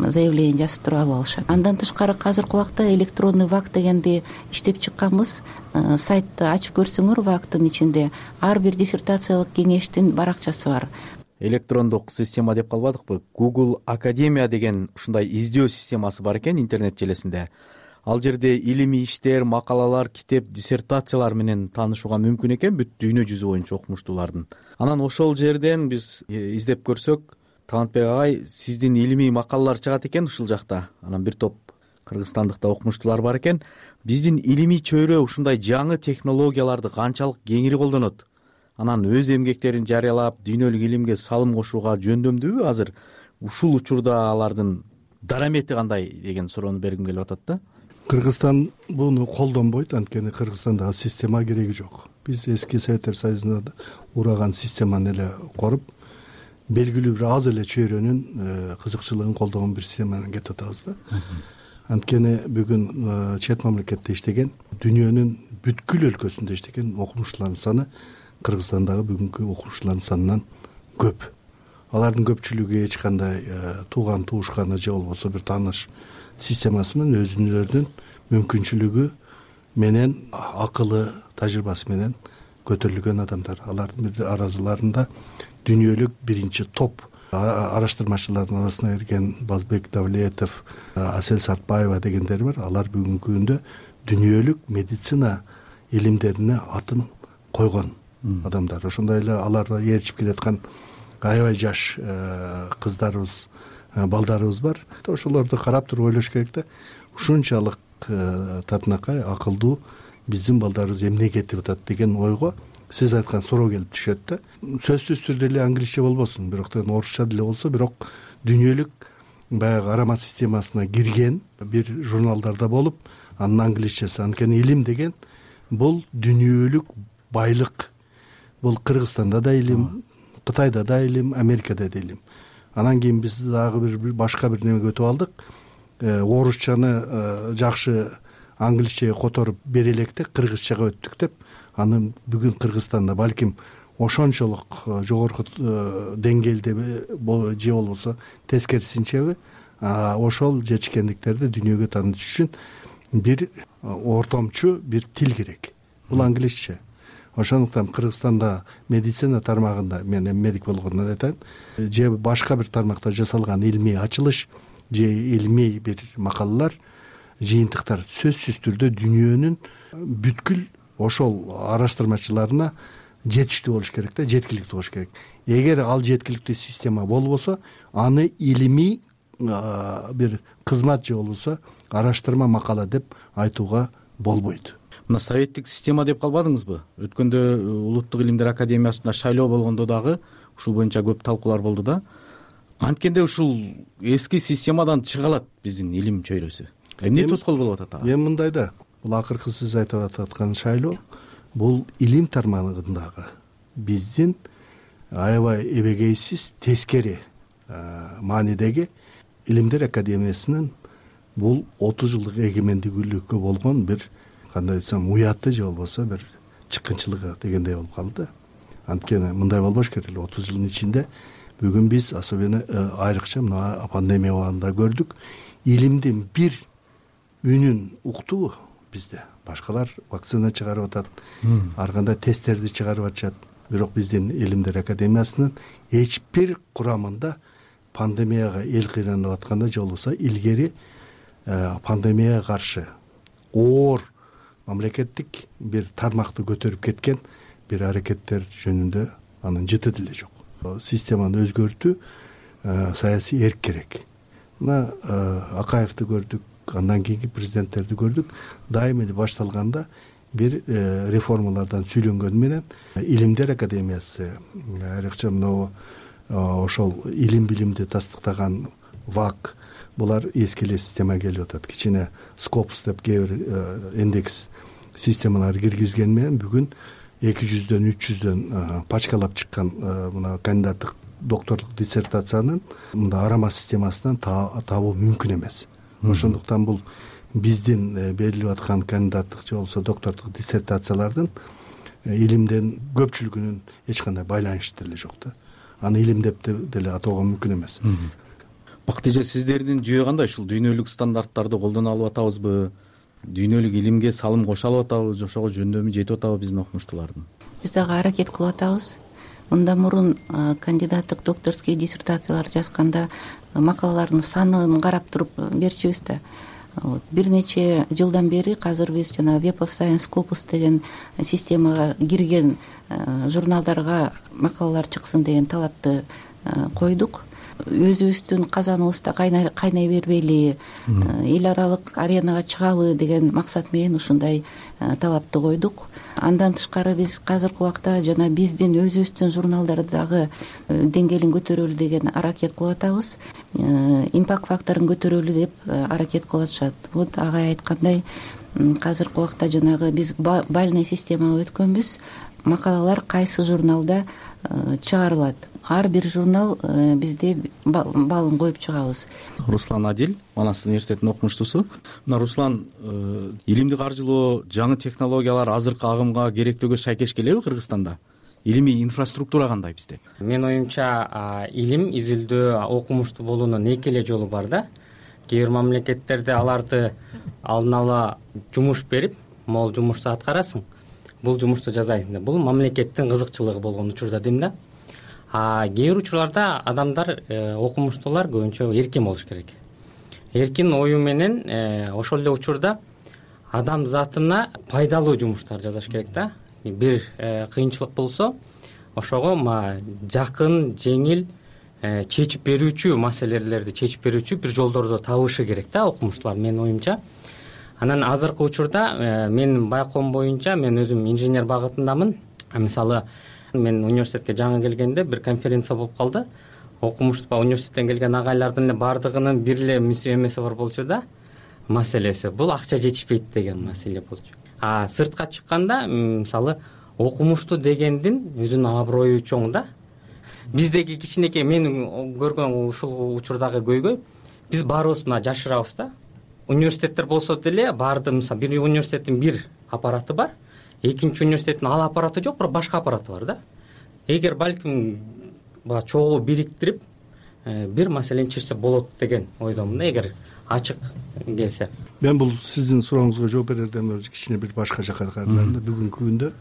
S4: заявление жазып туруп алып алышат. Андан тышкары азыркы убакта электронный ВАК дегенди иштеп чыкканбыз. Сайтты ачып көрсөңөр, ВАКтын ичинде ар бир диссертациялык кеңештин баракчасы бар.
S2: Электрондук система деп калбадыкпы? Google Академия деген ушундай издөө системасы бар экен интернет желесинде. Ал жерде илимий иштер, макалалар, китеп, диссертациялар менен таанышууга мүмкүн экен бүт дүйнө жүзү боюнча окумуштуулардын. Анан ошол жерден биз издеп көрсөк, Талантбек агай, сиздин илимий макалалар чыгат экен ушул жакта. Анан бир топ кыргызстандыкта окумуштуулар бар экен. Биздин илимий чөйрө ушундай жаңы технологияларды канчалык кеңири колдонот? Анан өз эмгектерин жарыялап, дүйнөлүк илимге салым кошууга жөндөмдүүбү азыр? Ушул учурда алардын дарамети кандай деген суроону бергим келип атат да.
S23: Кыргызстан буну колдонбойт, анткени Кыргызстандагы система кереги жок. Биз эски Советтер Союзунда ураган системаны эле коруп, белгилүү бир аз эле чөйрөнүн кызыкчылыгын колдогон бир системаны кетип атабыз да. Анткени бүгүн чет мамлекетте иштеген, дүйнөнүн бүткүл өлкөсүндө иштеген окумуштуулардын саны Кыргызстандагы бүгүнкү окумуштуулардын санынан көп. Алардын көпчүлүгү эч кандай тууган туушканы же болбосо бир тааныш системасы менен өзүнүн мүмкүнчүлүгү
S6: менен акылы тажрыйбасы менен көтөрүлгөн адамдар. Алардын араларында дүйнөлүк биринчи топ араштырмачылардын арасына кирген Базбек Давлетов, Асель Сартбаева дегендер бар. Алар бүгүнкү күндө дүйнөлүк медицина илимдерине атын койгон адамдар. Ошондой эле аларга ээрчип келаткан аябай жаш кыздарыбыз, балдарыбыз бар. Ошолорду карап туруп ойлош керек да, ушунчалык татынакай акылдуу биздин балдарыбыз эмне кетип атат деген ойго сиз айткан суроо келип түшөт да. Сөзсүз түрдө эле англисче болбосун, бирок орусча деле болсо, бирок дүйнөлүк баягы карама системасына кирген бир журналдарда болуп, анын англисчеси. Анткени илим деген бул дүйнөлүк байлык. Бул Кыргызстанда да илим, Кытайда да илим, Америкада да илим. Анан кийин биз дагы бир башка бир немеге өтүп алдык. Орусчаны жакшы англисчеге которуп бере электе кыргызчага өттүк деп, аны бүгүн Кыргызстанда балким ошончолук жогорку деңгээлде же болбосо тескерисинчеби ошол жетишкендиктерди дүйнөгө таанытыш үчүн бир ортомчу бир тил керек. Бул англисче. Ошондуктан Кыргызстанда медицина тармагында, мен эми медик болгондон айтайын, же башка бир тармакта жасалган илмий ачылыш же илмий бир макалалар, жыйынтыктар сөзсүз түрдө дүйнөнүн бүткүл ошол араштырмачыларына жетиштүү болуш керек да, жеткиликтүү болуш керек. Эгер ал жеткиликтүү система болбосо, аны илимий бир кызмат же болбосо араштырма макала деп айтууга болбойт.
S8: Мына советтик система деп калбадыңызбы? Өткөндө Улуттук илимдер академиясында шайлоо болгондо дагы ушул боюнча көп талкуулар болду да. Анткенде ушул эски системадан чыга алат биздин илим чөйрөсү. Эмне тоскоол болуп атат ага?
S6: Эми мындай да, бул акыркы сиз айтып аткан шайлоо бул илим тармагындагы биздин аябай эбегейсиз тескери маанидеги илимдер академиясынын бул отуз жылдык эгемендүүлүккө болгон бир, кандай айтсам, уяты же болбосо бир чыккынчылыгы дегендей болуп калды. Анткени мындай болбош керек эле. отуз жылдын ичинде бүгүн биз особенно айрыкча мына пандемия убагында көрдүк, илимдин бир үнүн уктуу бизде. Башкалар вакцина чыгарып атат, ар кандай тесттерди чыгарып атышат. Бирок биздин илимдер академиясынын эч бир курамында пандемияга эл кыйнанып атканда же болбосо илгери пандемияга каршы оор мамлекеттик бир тармакты көтөрүп кеткен бир аракеттер жөнүндө анын жыты деле жок. Системаны өзгөртүү, саясий эрк керек. Мына Акаевди көрдүк, андан кийинки президенттерди көрдүк. Дайым эле башталганда бир реформалардан сүйлөнгөн менен илимдер академиясы, айрыкча мына ошол илим билимди тастыктаган ВАК, булар эски эле система келип атат. Кичине Скопус деп кээ бир индекс системалар киргизген менен бүгүн эки жүздөн үч жүздөн пачкалап чыккан мына кандидаттык докторлук диссертациянын мында арама системасынан табуу мүмкүн эмес. Ошондуктан бул биздин берилип аткан кандидаттык же болбосо докторлук диссертациялардын илимден көпчүлүгүнүн эч кандай байланышы деле жок да. Аны илим деп деле атоого мүмкүн эмес.
S8: Бакыт эже, сиздердин жүйө кандай? Ушул дүйнөлүк стандарттарды колдоно алып атабызбы? Дүйнөлүк илимге салым кошо алып атабызбы? Ошого жөндөмү жетип атабы биздин окумуштуулардын?
S4: Биз дагы аракет кылып атабыз. Мындан мурун кандидаттык докторский диссертациялар жазганда макалалардын санын карап туруп берчүбүз да. Бир нече жылдан бери азыр биз жана Web of Science Scopus деген системага кирген журналдарга макалалар чыксын деген талапты койдук. Өзүбүздүн казаныбызда кайнай бербейли, эл аралык аренага чыгалы деген максат менен ушундай талапты койдук. Андан тышкары биз азыркы убакта жана биздин өзүбүздүн журналдардагы деңгээлин көтөрөлү деген аракет кылып атабыз. Импакт факторун көтөрөлү деп аракет кылып атышат. Вот агай айткандай, азыркы убакта жанагы биз бальный системага өткөнбүз. Макалалар кайсы журналда чыгарылат. Ар бир журнал бизде балын коюп чыгабыз.
S8: Руслан Адил, Манас университетинин окумуштуусу. Мына Руслан, илимди каржылоо, жаңы технологиялар азыркы агымга, керектөөгө шайкеш келеби Кыргызстанда? Илимий инфраструктура кандай бизде?
S9: Менин оюмча, илим изилдөө, окумуштуу болуунун эки эле жолу бар да. Кээ бир мамлекеттерде аларды алдын ала жумуш берип, могул жумушту аткарасың, бул жумушту жасайсың деп. Бул мамлекеттин кызыкчылыгы болгон учурда дейм да. А кээ бир учурларда адамдар, окумуштуулар көбүнчө эркин болуш керек. Эркин ою менен ошол эле учурда адам затына пайдалуу жумуштар жасаш керек да. Бир кыйынчылык болсо, ошого жакын, жеңил, чечип берүүчү маселелерди чечип берүүчү бир жолдорду табышы керек да окумуштуулар, менин оюмча. Анан азыркы учурда менин байкоом боюнча, мен өзүм инженер багытындамын. Мисалы, мен университетке жаңы келгенде бир конференция болуп калды. Окумуштуу университеттен келген агайлардын эле баардыгынын бир эле эмеси бар болчу да, маселеси бул акча жетишпейт деген маселе болчу. А сыртка чыкканда, мисалы, окумуштуу дегендин өзүнүн аброю чоң да. Биздеги кичинекей менин көргөн ушул учурдагы көйгөй, биз баарыбыз мына жашырабыз да. Университеттер болсо деле баарды, мисалы, бир университеттин бир аппараты бар, экинчи университеттин ал аппараты жок, бирок башка аппараты бар да. Эгер балким баягы чогуу бириктирип бир маселени чечсе болот деген ойдомун да, эгер ачык келсе.
S6: Мен бул сиздин сурооңузга жооп берерден өзү кичине бир башка жака кайрылайын да. Бүгүнкү күндө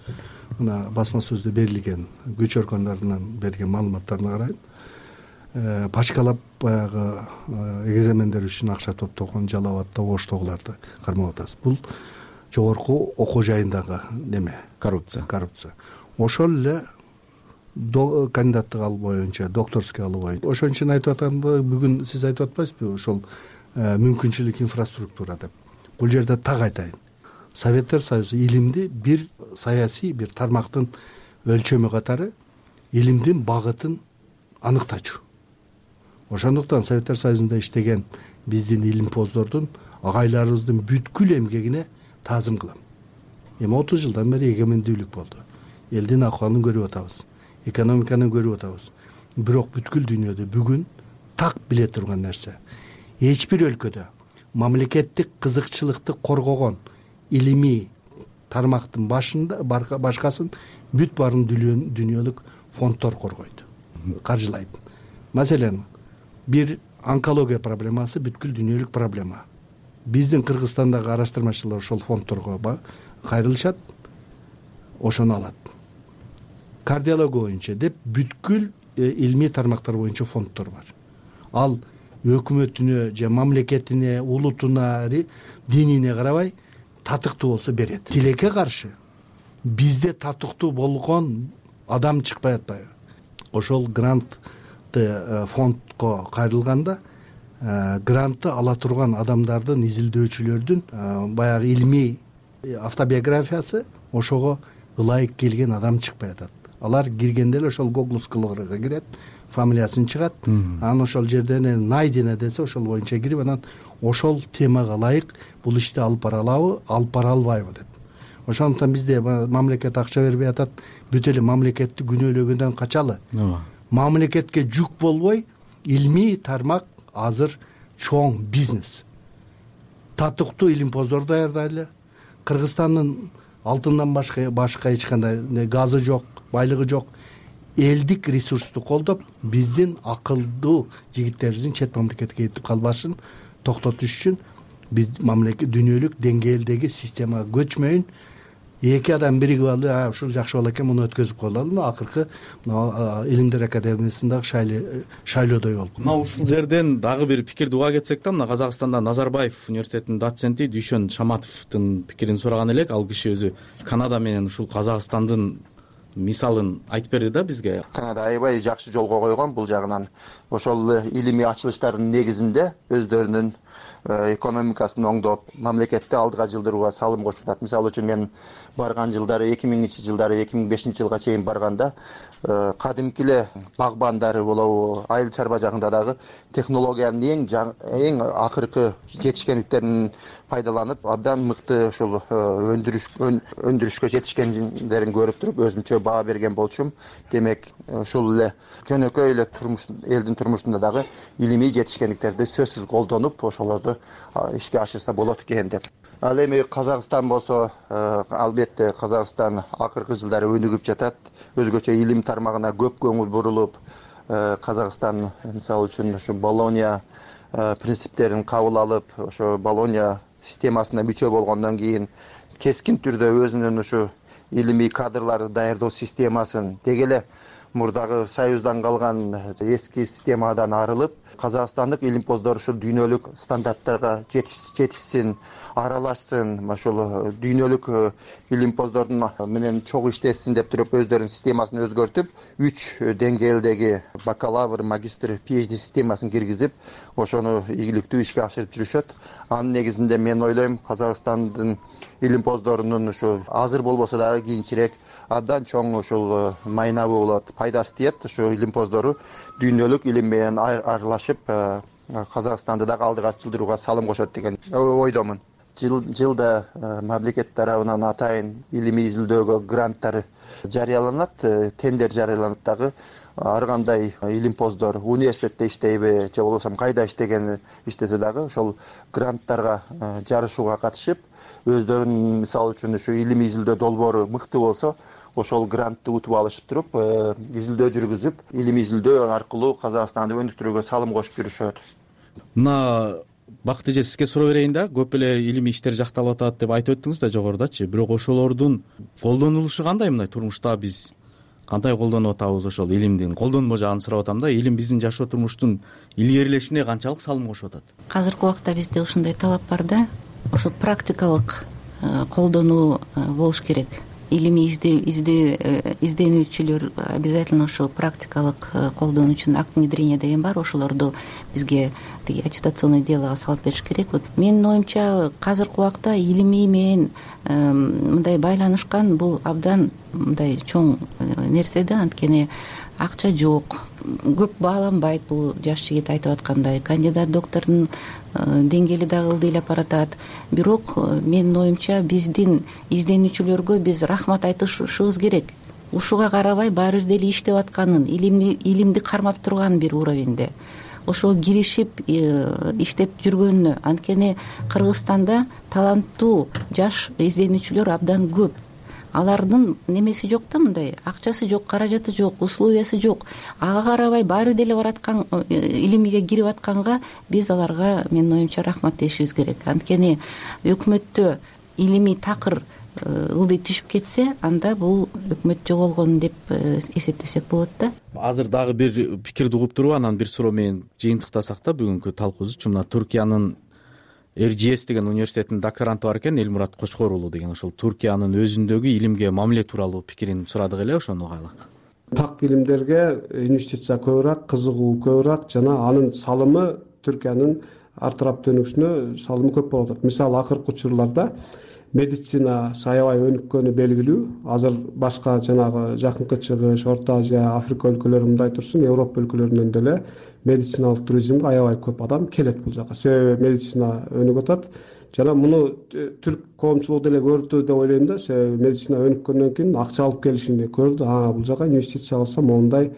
S6: мына басма сөздө берилген күч органдарынан берген маалыматтарына карайын, пачкалап баягы экзамендер үчүн акча топтогон, жалап оштогуларды кармап атасыз. Бул жогорку окуу жайындагы неме?
S8: Коррупция.
S6: Коррупция. Ошол эле кандидаттык алуу боюнча, докторский алуу боюнча. Ошон үчүн айтып атканда, бүгүн сиз айтып атпайсызбы, ошол мүмкүнчүлүк инфраструктура деп. Бул жерде так айтайын. Советтер Союзу илимди бир саясий бир тармактын өлчөмү катары илимдин багытын аныктачу. Ошондуктан Советтер Союзунда иштеген биздин илимпоздордун, агайларыбыздын бүткүл эмгегине таазым кылам. Эми отуз жылдан бери эгемендүүлүк болду. Элдин акыбалын көрүп атабыз, экономиканы көрүп атабыз. Бирок бүткүл дүйнөдө бүгүн так биле турган нерсе, эч бир өлкөдө мамлекеттик кызыкчылыкты коргогон илимий тармактын башында башкасын бүт баарын дүйнөлүк фонддор коргойт, каржылайт. Маселен, бир онкология проблемасы бүткүл дүйнөлүк проблема. Биздин Кыргызстандагы араштырмачылар ошол фонддорго кайрылышат, ошону алат. Кардиология боюнча деп бүткүл илимий тармактар боюнча фонддор бар. Ал өкмөтүнө же мамлекетине, улутуна, динине карабай татыктуу болсо берет. Тилекке каршы бизде татыктуу болгон адам чыкпай атпайбы? Ошол грантты фондко кайрылганда грантты ала турган адамдардын, изилдөөчүлөрдүн баягы илимий автобиографиясы ошого ылайык келген адам чыкпай атат. Алар киргенде эле ошол Google-скылыгга кирет, фамилиясын чыгат, анан ошол жерден найдено десе ошол боюнча кирип, анан ошол темага ылайык бул ишти алып баралабы, алып бара албайбы деп. Ошондуктан бизде мамлекет акча бербей атат, бүт эле мамлекетти күнөөлөгөндөн качалы. Мамлекетке жүк болбой, илимий тармак азыр чоң бизнес. Татыктуу илимпоздор даярдайлы. Кыргызстандын алтындан башка башка эч кандай газы жок, байлыгы жок. Элдик ресурсту колдоп, биздин акылдуу жигиттерибиздин чет мамлекетке кетип калбашын токтотуш үчүн биз мамлекет дүйнөлүк деңгээлдеги системага көчмөйүн, эки адам биригип алып, ушул жакшы боло экен, муну өткөзүп коелу. Акыркы Илимдер академиясындагы шайлоодой болду.
S8: Мына ушул жерден дагы бир пикирди уга кетсек да, мына Казакстанда Назарбаев университетинин доценти Дүйшөн Шаматовдун пикирин сураган элек. Ал киши өзү Канада менен ушул Казакстандын мисалын айтып берди да бизге.
S5: Канада аябай жакшы жолго койгон бул жагынан. Ошол илимий ачылыштардын негизинде өздөрүнүн экономикасын оңдоп, мамлекетти алдыга жылдырууга салым кошуп. Мисалы үчүн мен барган жылдары эки миңинчи жылдары эки миң бешинчи жылга чейин барганда кадимки эле багбандары болобу, айыл чарба жагында дагы технологиянын эң эң акыркы жетишкендиктерин пайдаланып, абдан мыкты ошол өндүрүш өндүрүшкө жетишкендерин көрүп туруп өзүмчө баа берген болчумун. Демек, ушул эле жөнөкөй эле турмуш элдин турмушунда дагы илимий жетишкендиктерди сөзсүз колдонуп, ошолорду ишке ашырса болот экен деп. Ал эми Казакстан болсо, албетте Казакстан акыркы жылдары өнүгүп жатат. Өзгөчө илим тармагына көп көңүл бурулуп, Казакстан мисалы үчүн ушу Болония принциптерин кабыл алып, ошо Болония системасына мүчө болгондон кийин кескин түрдө өзүнүн ушу илимий кадрларды даярдоо системасын деги эле мурдагы союздан калган эски системадан арылып, казакстандык илимпоздор ушул дүйнөлүк стандарттарга жетишсин, аралашсын, ошол дүйнөлүк илимпоздордун менен чогуу иштесин деп туруп өздөрүнүн системасын өзгөртүп, үч деңгээлдеги бакалавр, магистр, пи эйч ди системасын киргизип, ошону ийгиликтүү ишке ашырып жүрүшөт. Анын негизинде мен ойлойм, Казакстандын илимпоздорунун ушу азыр болбосо дагы кийинчерээк абдан чоң ушул майнабы болот, пайдасы тиет. Ушу илимпоздору дүйнөлүк илим менен аралашып, Казакстанды дагы алдыга жылдырууга салым кошот деген ойдомун. Жыл жылда мамлекет тарабынан атайын илимий изилдөөгө гранттар жарыяланат, тендер жарыяланат дагы. Ар кандай илимпоздор университетте иштейби же болбосо кайда иштеген иштесе дагы ошол гранттарга жарышууга катышып, өздөрүнүн мисалы үчүн ушу илимий изилдөө долбоору мыкты болсо, ошол грантты утуп алышып туруп, изилдөө жүргүзүп, илимий изилдөө аркылуу Казакстанды өнүктүрүүгө салым кошуп жүрүшөт.
S8: Мына Бакыт эже, сизге суроо берейин да. Көп эле илимий иштер жакталып атат деп айтып өттүңүз да жогорудачы. Бирок ошолордун колдонулушу кандай мындай турмушта биз кандай колдонуп атабыз ошол илимдин колдонмо жагын сурап атам да. Илим биздин жашоо турмуштун илгерилешине канчалык салым кошуп атат?
S4: Азыркы убакта бизде ушундай талап бар да. Ошо практикалык колдонуу болуш керек. Илимий изденүүчүлөр обязательно ошо практикалык колдонуу үчүн акт внедрения деген бар. Ошолорду бизге тиги аттестационный делого салып бериш керек. Вот менин оюмча азыркы убакта илимий менен мындай байланышкан бул абдан мындай чоң нерсе да. Анткени акча жок, көп бааланбайт. Бул жаш жигит айтып аткандай кандидат доктордун деңгээли дагы ылдыйлап баратат. Бирок менин оюмча биздин изденүүчүлөргө биз рахмат айтышыбыз керек. Ушуга карабай баары бир деле иштеп атканын, илимди кармап турган бир уровеньде ошого киришип иштеп жүргөнүнө. Анткени Кыргызстанда таланттуу жаш изденүүчүлөр абдан көп. Алардын немеси жок да, мындай акчасы жок, каражаты жок, условиясы жок. Ага карабай баары деле бараткан илимиге кирип атканга биз аларга менин оюмча рахмат дешибиз керек. Анткени өкмөттө илимий такыр ылдый түшүп кетсе, анда бул өкмөт жоголгон деп эсептесек болот да.
S8: Азыр дагы бир пикирди угуп туруп, анан бир суроо менен жыйынтыктасак да бүгүнкү талкуубузчу. Мына Түркиянын эр джи эс деген университетинин докторанты бар экен, Элмурат Кочкор уулу деген. Ошол Түркиянын өзүндөгү илимге мамиле тууралуу пикирин сурадык эле, ошону угайлы.
S7: Так илимдерге инвестиция көбүрөөк, кызыгуу көбүрөөк жана анын салымы Түркиянын ар тараптуу өнүгүшүнө салымы көп болуп атат. Мисалы акыркы учурларда медицина аябай өнүккөнү белгилүү. Азыр башка жанагы Жакынкы Чыгыш, Орто Азия, Африка өлкөлөрү мындай турсун, Европа өлкөлөрүнөн деле медициналык туризмге аябай көп адам келет бул жака. Себеби медицина өнүгүп атат. Жана муну түрк коомчулугу деле көрдү деп ойлойм да. Себеби медицина өнүккөндөн кийин акча алып келишинди көрдү. А бул жака инвестиция кылсам моундай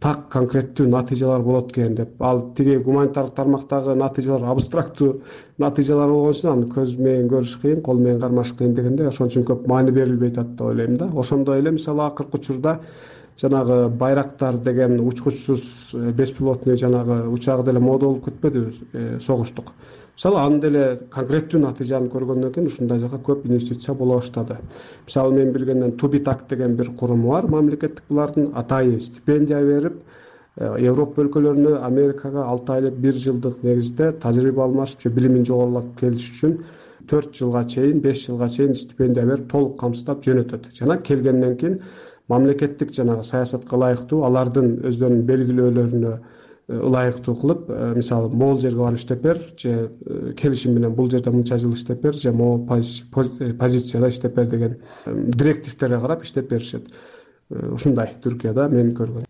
S7: так конкреттүү натыйжалар болот экен деп. Ал тиги гуманитардык тармактагы натыйжалар абстрактуу натыйжалар болгон үчүн аны көз менен көрүш кыйын, кол менен кармаш кыйын дегенде ошон үчүн көп маани берилбей атат деп ойлойм да. Ошондой эле мисалы акыркы учурда жанагы Байрактар деген учкучсуз беспилотный жанагы учак деле мода болуп кетпедиби согуштук. Мисалы аны деле конкреттүү натыйжаны көргөндөн кийин ушундай жака көп инвестиция боло баштады. Мисалы мен билгенден Тубитак деген бир куруму бар, мамлекеттик булардын атайын стипендия берип, Европа өлкөлөрүнө, Америкага алты айлык, бир жылдык негизде тажрыйба алмашып же билимин жогорулатып келиш үчүн төрт жылга чейин, беш жылга чейин стипендия берип, толук камсыздап жөнөтөт. Жана келгенден кийин мамлекеттик жанагы саясатка ылайыктуу алардын өздөрүнүн белгилөөлөрүнө ылайыктуу кылып, мисалы могул жерге барып иштеп бер же келишим менен бул жерде мынча жыл иштеп бер же могул позицияда иштеп бер деген директивтерге карап иштеп беришет. Ушундай Түркияда мен көргөнүм.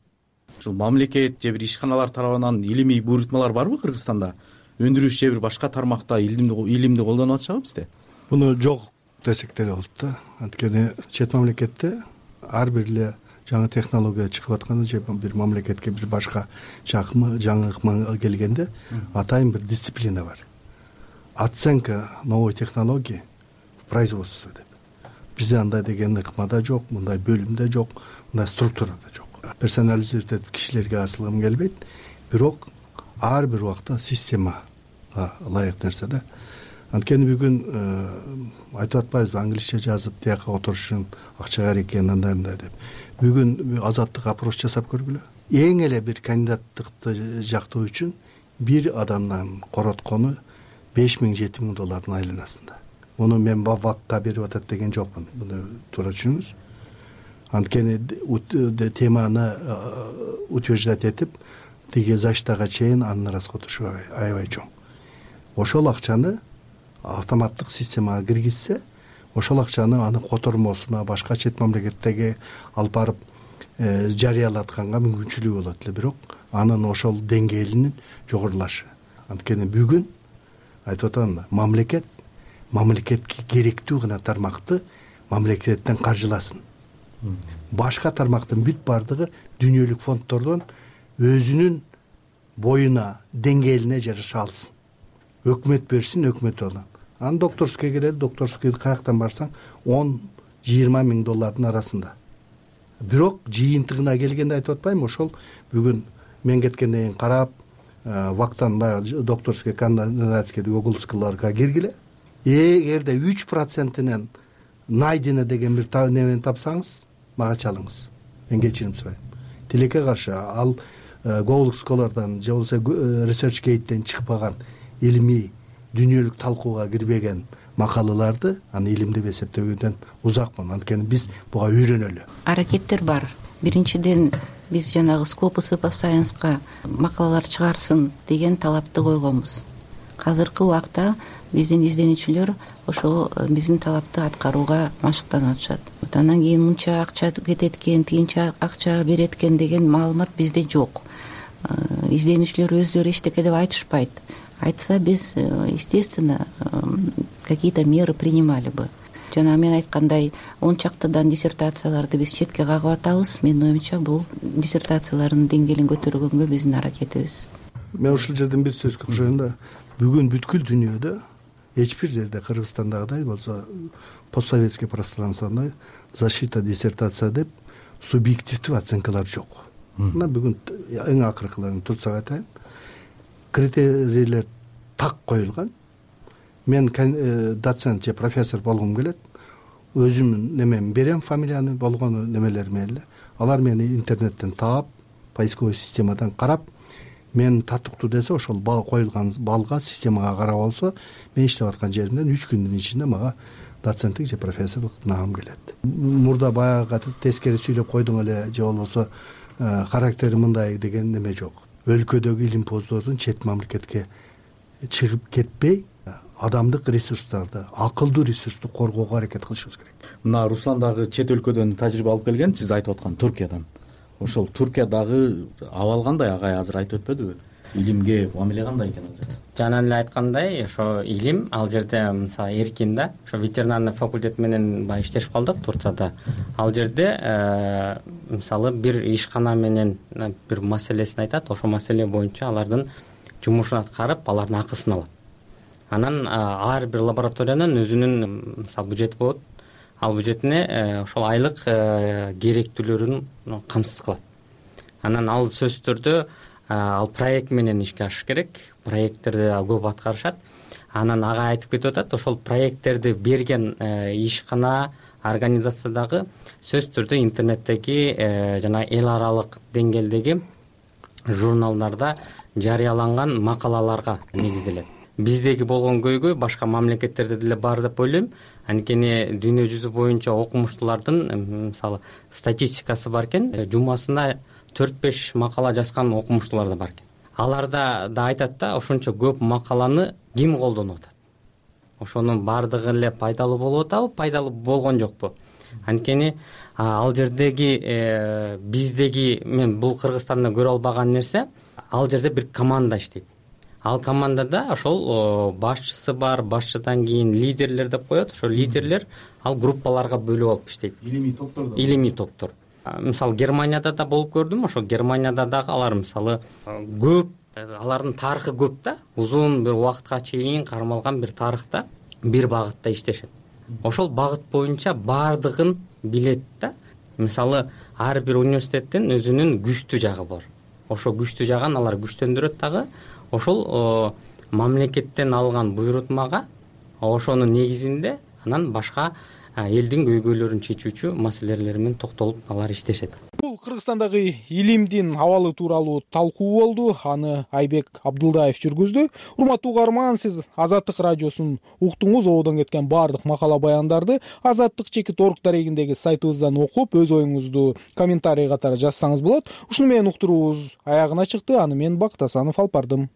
S8: Ушул мамлекет же бир ишканалар тарабынан илимий буйрутмалар барбы Кыргызстанда? Өндүрүш же бир башка тармакта илимди илимди колдонуп атышабы бизде?
S6: Муну жок десек деле болот да. Анткени чет мамлекетте ар бир эле жаңы технология чыгып атканда же бир мамлекетке бир башка жакмы жаңы ыкма келгенде атайын бир дисциплина бар. Оценка новой технологии в производстве деп. Бизде андай деген ыкмада жок, мындай бөлүмдө жок, мындай структурада жок. Персонализировать этип кишилерге асылгым келбейт. Бирок ар бир убакта системага ылайык нерсе да. анткени бүгүн айтып атпайбызбы англисче жазып тияка отурушун акча керек экен андай мындай деп. Бүгүн Азаттык опрос жасап көргүлө. Эң эле бир кандидаттыкты жактоо үчүн бир адамдан короткону беш миң жети миң доллардын айланасында. Муну мен вакка берип атат деген жокмун. Муну туура түшүнүңүз. Анткени теманы утверждать этип тиги заштага чейин анын арасына отурушу аябай чоң. Ошол акчаны автоматтык системага киргизсе, ошол акчаны анын котормосуна башка чет мамлекеттерге алып барып жарыялатканга мүмкүнчүлүгү болот эле, бирок анын ошол деңгээлинин жогорулашы. Анткени бүгүн айтып атам, мамлекет мамлекетке керектүү гана тармакты мамлекеттен каржыласын. Башка тармактын бүт бардыгы дүйнөлүк фонддордон өзүнүн боюна, деңгээлине жараша алсын. Өкмөт берсин, өкмөт алсын. Ан докторский келет, докторский каяктан барсаң он жыйырма миң доллардын арасында. Бирок жыйынтыгына келгенде айтып атпаймынбы, ошол бүгүн мен кеткенден кийин карап, вактан баягы докторский кандидатский уголовскийларга киргиле. Эгерде үч процентинен найдено деген бир немени тапсаңыз, мага чалыңыз. Мен кечирим сурайм. Тилекке каршы ал Гоулсколордон же болбосо Research Gate'ден чыкпаган илимий дүйнөлүк талкууга кирбеген макалаларды аны илим деп эсептөөгөдөн узакмын. Анткени биз буга үйрөнөлү.
S4: Аракеттер бар. Биринчиден биз жанагы Scopus Web of Science'ка макалалар чыгарсын деген талапты койгонбуз. Азыркы убакта биздин изденүүчүлөр ошо биздин талапты аткарууга машыктанып атышат. Андан кийин мынча акча кетет экен, тигинче акча берет экен деген маалымат бизде жок. Изденүүчүлөр өздөрү эчтеке деп айтышпайт. Айтса биз, естественно, какие-то меры принимали бы. Жана мен айткандай, он чактыдан диссертацияларды биз четке кагып атабыз. Менин оюмча, бул диссертациялардын деңгээлин көтөргөнгө биздин аракетибиз.
S6: Мен ушул жерден бир сөзгө кошоюн да. Бүгүн бүткүл дүйнөдө эч бир жерде Кыргызстандагыдай болсо постсоветский пространствода защита диссертация деп субъективдүү оценкалар жок. Мына бүгүн эң акыркыларын турсак айтайын. Критерийлер так коюлган. Мен доцент же профессор болгум келет. Өзүмдүн немеми берем, фамилияны, болгону немелерими эле. Алар мени интернеттен таап, поисковый системадан карап, мен татыктуу десе, ошол бал коюлган балга системага карап алса, мен иштеп аткан жеримден үч күндүн ичинде мага доценттик же профессорлук наам келет. Мурда баягы тескери сүйлөп койдуң эле же болбосо характери мындай деген неме жок. Өлкөдөгү илимпоздордун чет мамлекетке чыгып кетпей, адамдык ресурстарды, акылдуу ресурсту коргоого аракет кылышыбыз керек.
S8: Мына Руслан дагы чет өлкөдөн тажрыйба алып келген, сиз айтып аткан Туркиядан. Ошол Туркиядагы абал кандай, агай азыр айтып өтпөдүбү? Илимге мамиле кандай экен ал жерде?
S9: Жана эле айткандай, ошо илим ал жерде мисалы эркин да, ошо ветеринарный факультет менен баягы иштешип калдык Турцияда. Ал жерде мисалы бир ишкана менен бир маселесин айтат, ошол маселе боюнча алардын жумушун аткарып, алардын акысын алат. Анан ар бир лабораториянын өзүнүн мисалы бюджети болот. Ал бюджетине ошол айлык керектүүлөрүн камсыз кылат. Анан ал сөзсүз түрдө ал проект менен ишке ашыш керек. Проекттерди көп аткарышат. Анан ага айтып кетип атат, ошол проекттерди берген ишкана, организациядагы сөзсүз түрдө интернеттеги жана эл аралык деңгээлдеги журналдарда жарыяланган макалаларга негизделет. Биздеги болгон көйгөй башка мамлекеттерде деле бар деп ойлойм. Анткени дүйнө жүзү боюнча окумуштуулардын мисалы статистикасы бар экен. Жумасына төрт беш макала жазган окумуштуулар да бар экен. Аларда да айтат да, ошончо көп макаланы ким колдонуп атат? Ошонун бардыгы эле пайдалуу болуп атабы, пайдалуу болгон жокпу? Анткени ал жердеги биздеги мен бул Кыргызстанда көрө албаган нерсе, ал жерде бир команда иштейт. Ал командада ошол башчысы бар, башчыдан кийин лидерлер деп коет. Ошол лидерлер ал группаларга бөлүп алып иштейт.
S8: Илимий топтор.
S9: Илимий топтор. Мисалы Германияда да болуп көрдүм. Ошо Германияда дагы алар мисалы көп, алардын тарыхы көп да, узун бир убакытка чейин кармалган бир тарыхта бир багытта иштешет. Ошол багыт боюнча бардыгын билет да. Мисалы ар бир университеттин өзүнүн күчтүү жагы бар. Ошо күчтүү жагын алар күчтөндүрөт дагы. Ошол мамлекеттен алган буйрутмага ошонун негизинде анан башка элдин көйгөйлөрүн чечүүчү маселелер менен токтолуп алар иштешет.
S1: Бул Кыргызстандагы илимдин абалы тууралуу талкуу болду. Аны Айбек Абдылдаев жүргүздү. Урматтуу угарман, сиз Азаттык радиосун уктуңуз. Ободон кеткен баардык макала баяндарды азаттык чекит орг дарегиндеги сайтыбыздан окуп, өз оюңузду комментарий катары жазсаңыз болот. Ушуну менен уктуруубуз аягына чыкты. Аны мен Бактасанов алып бардым.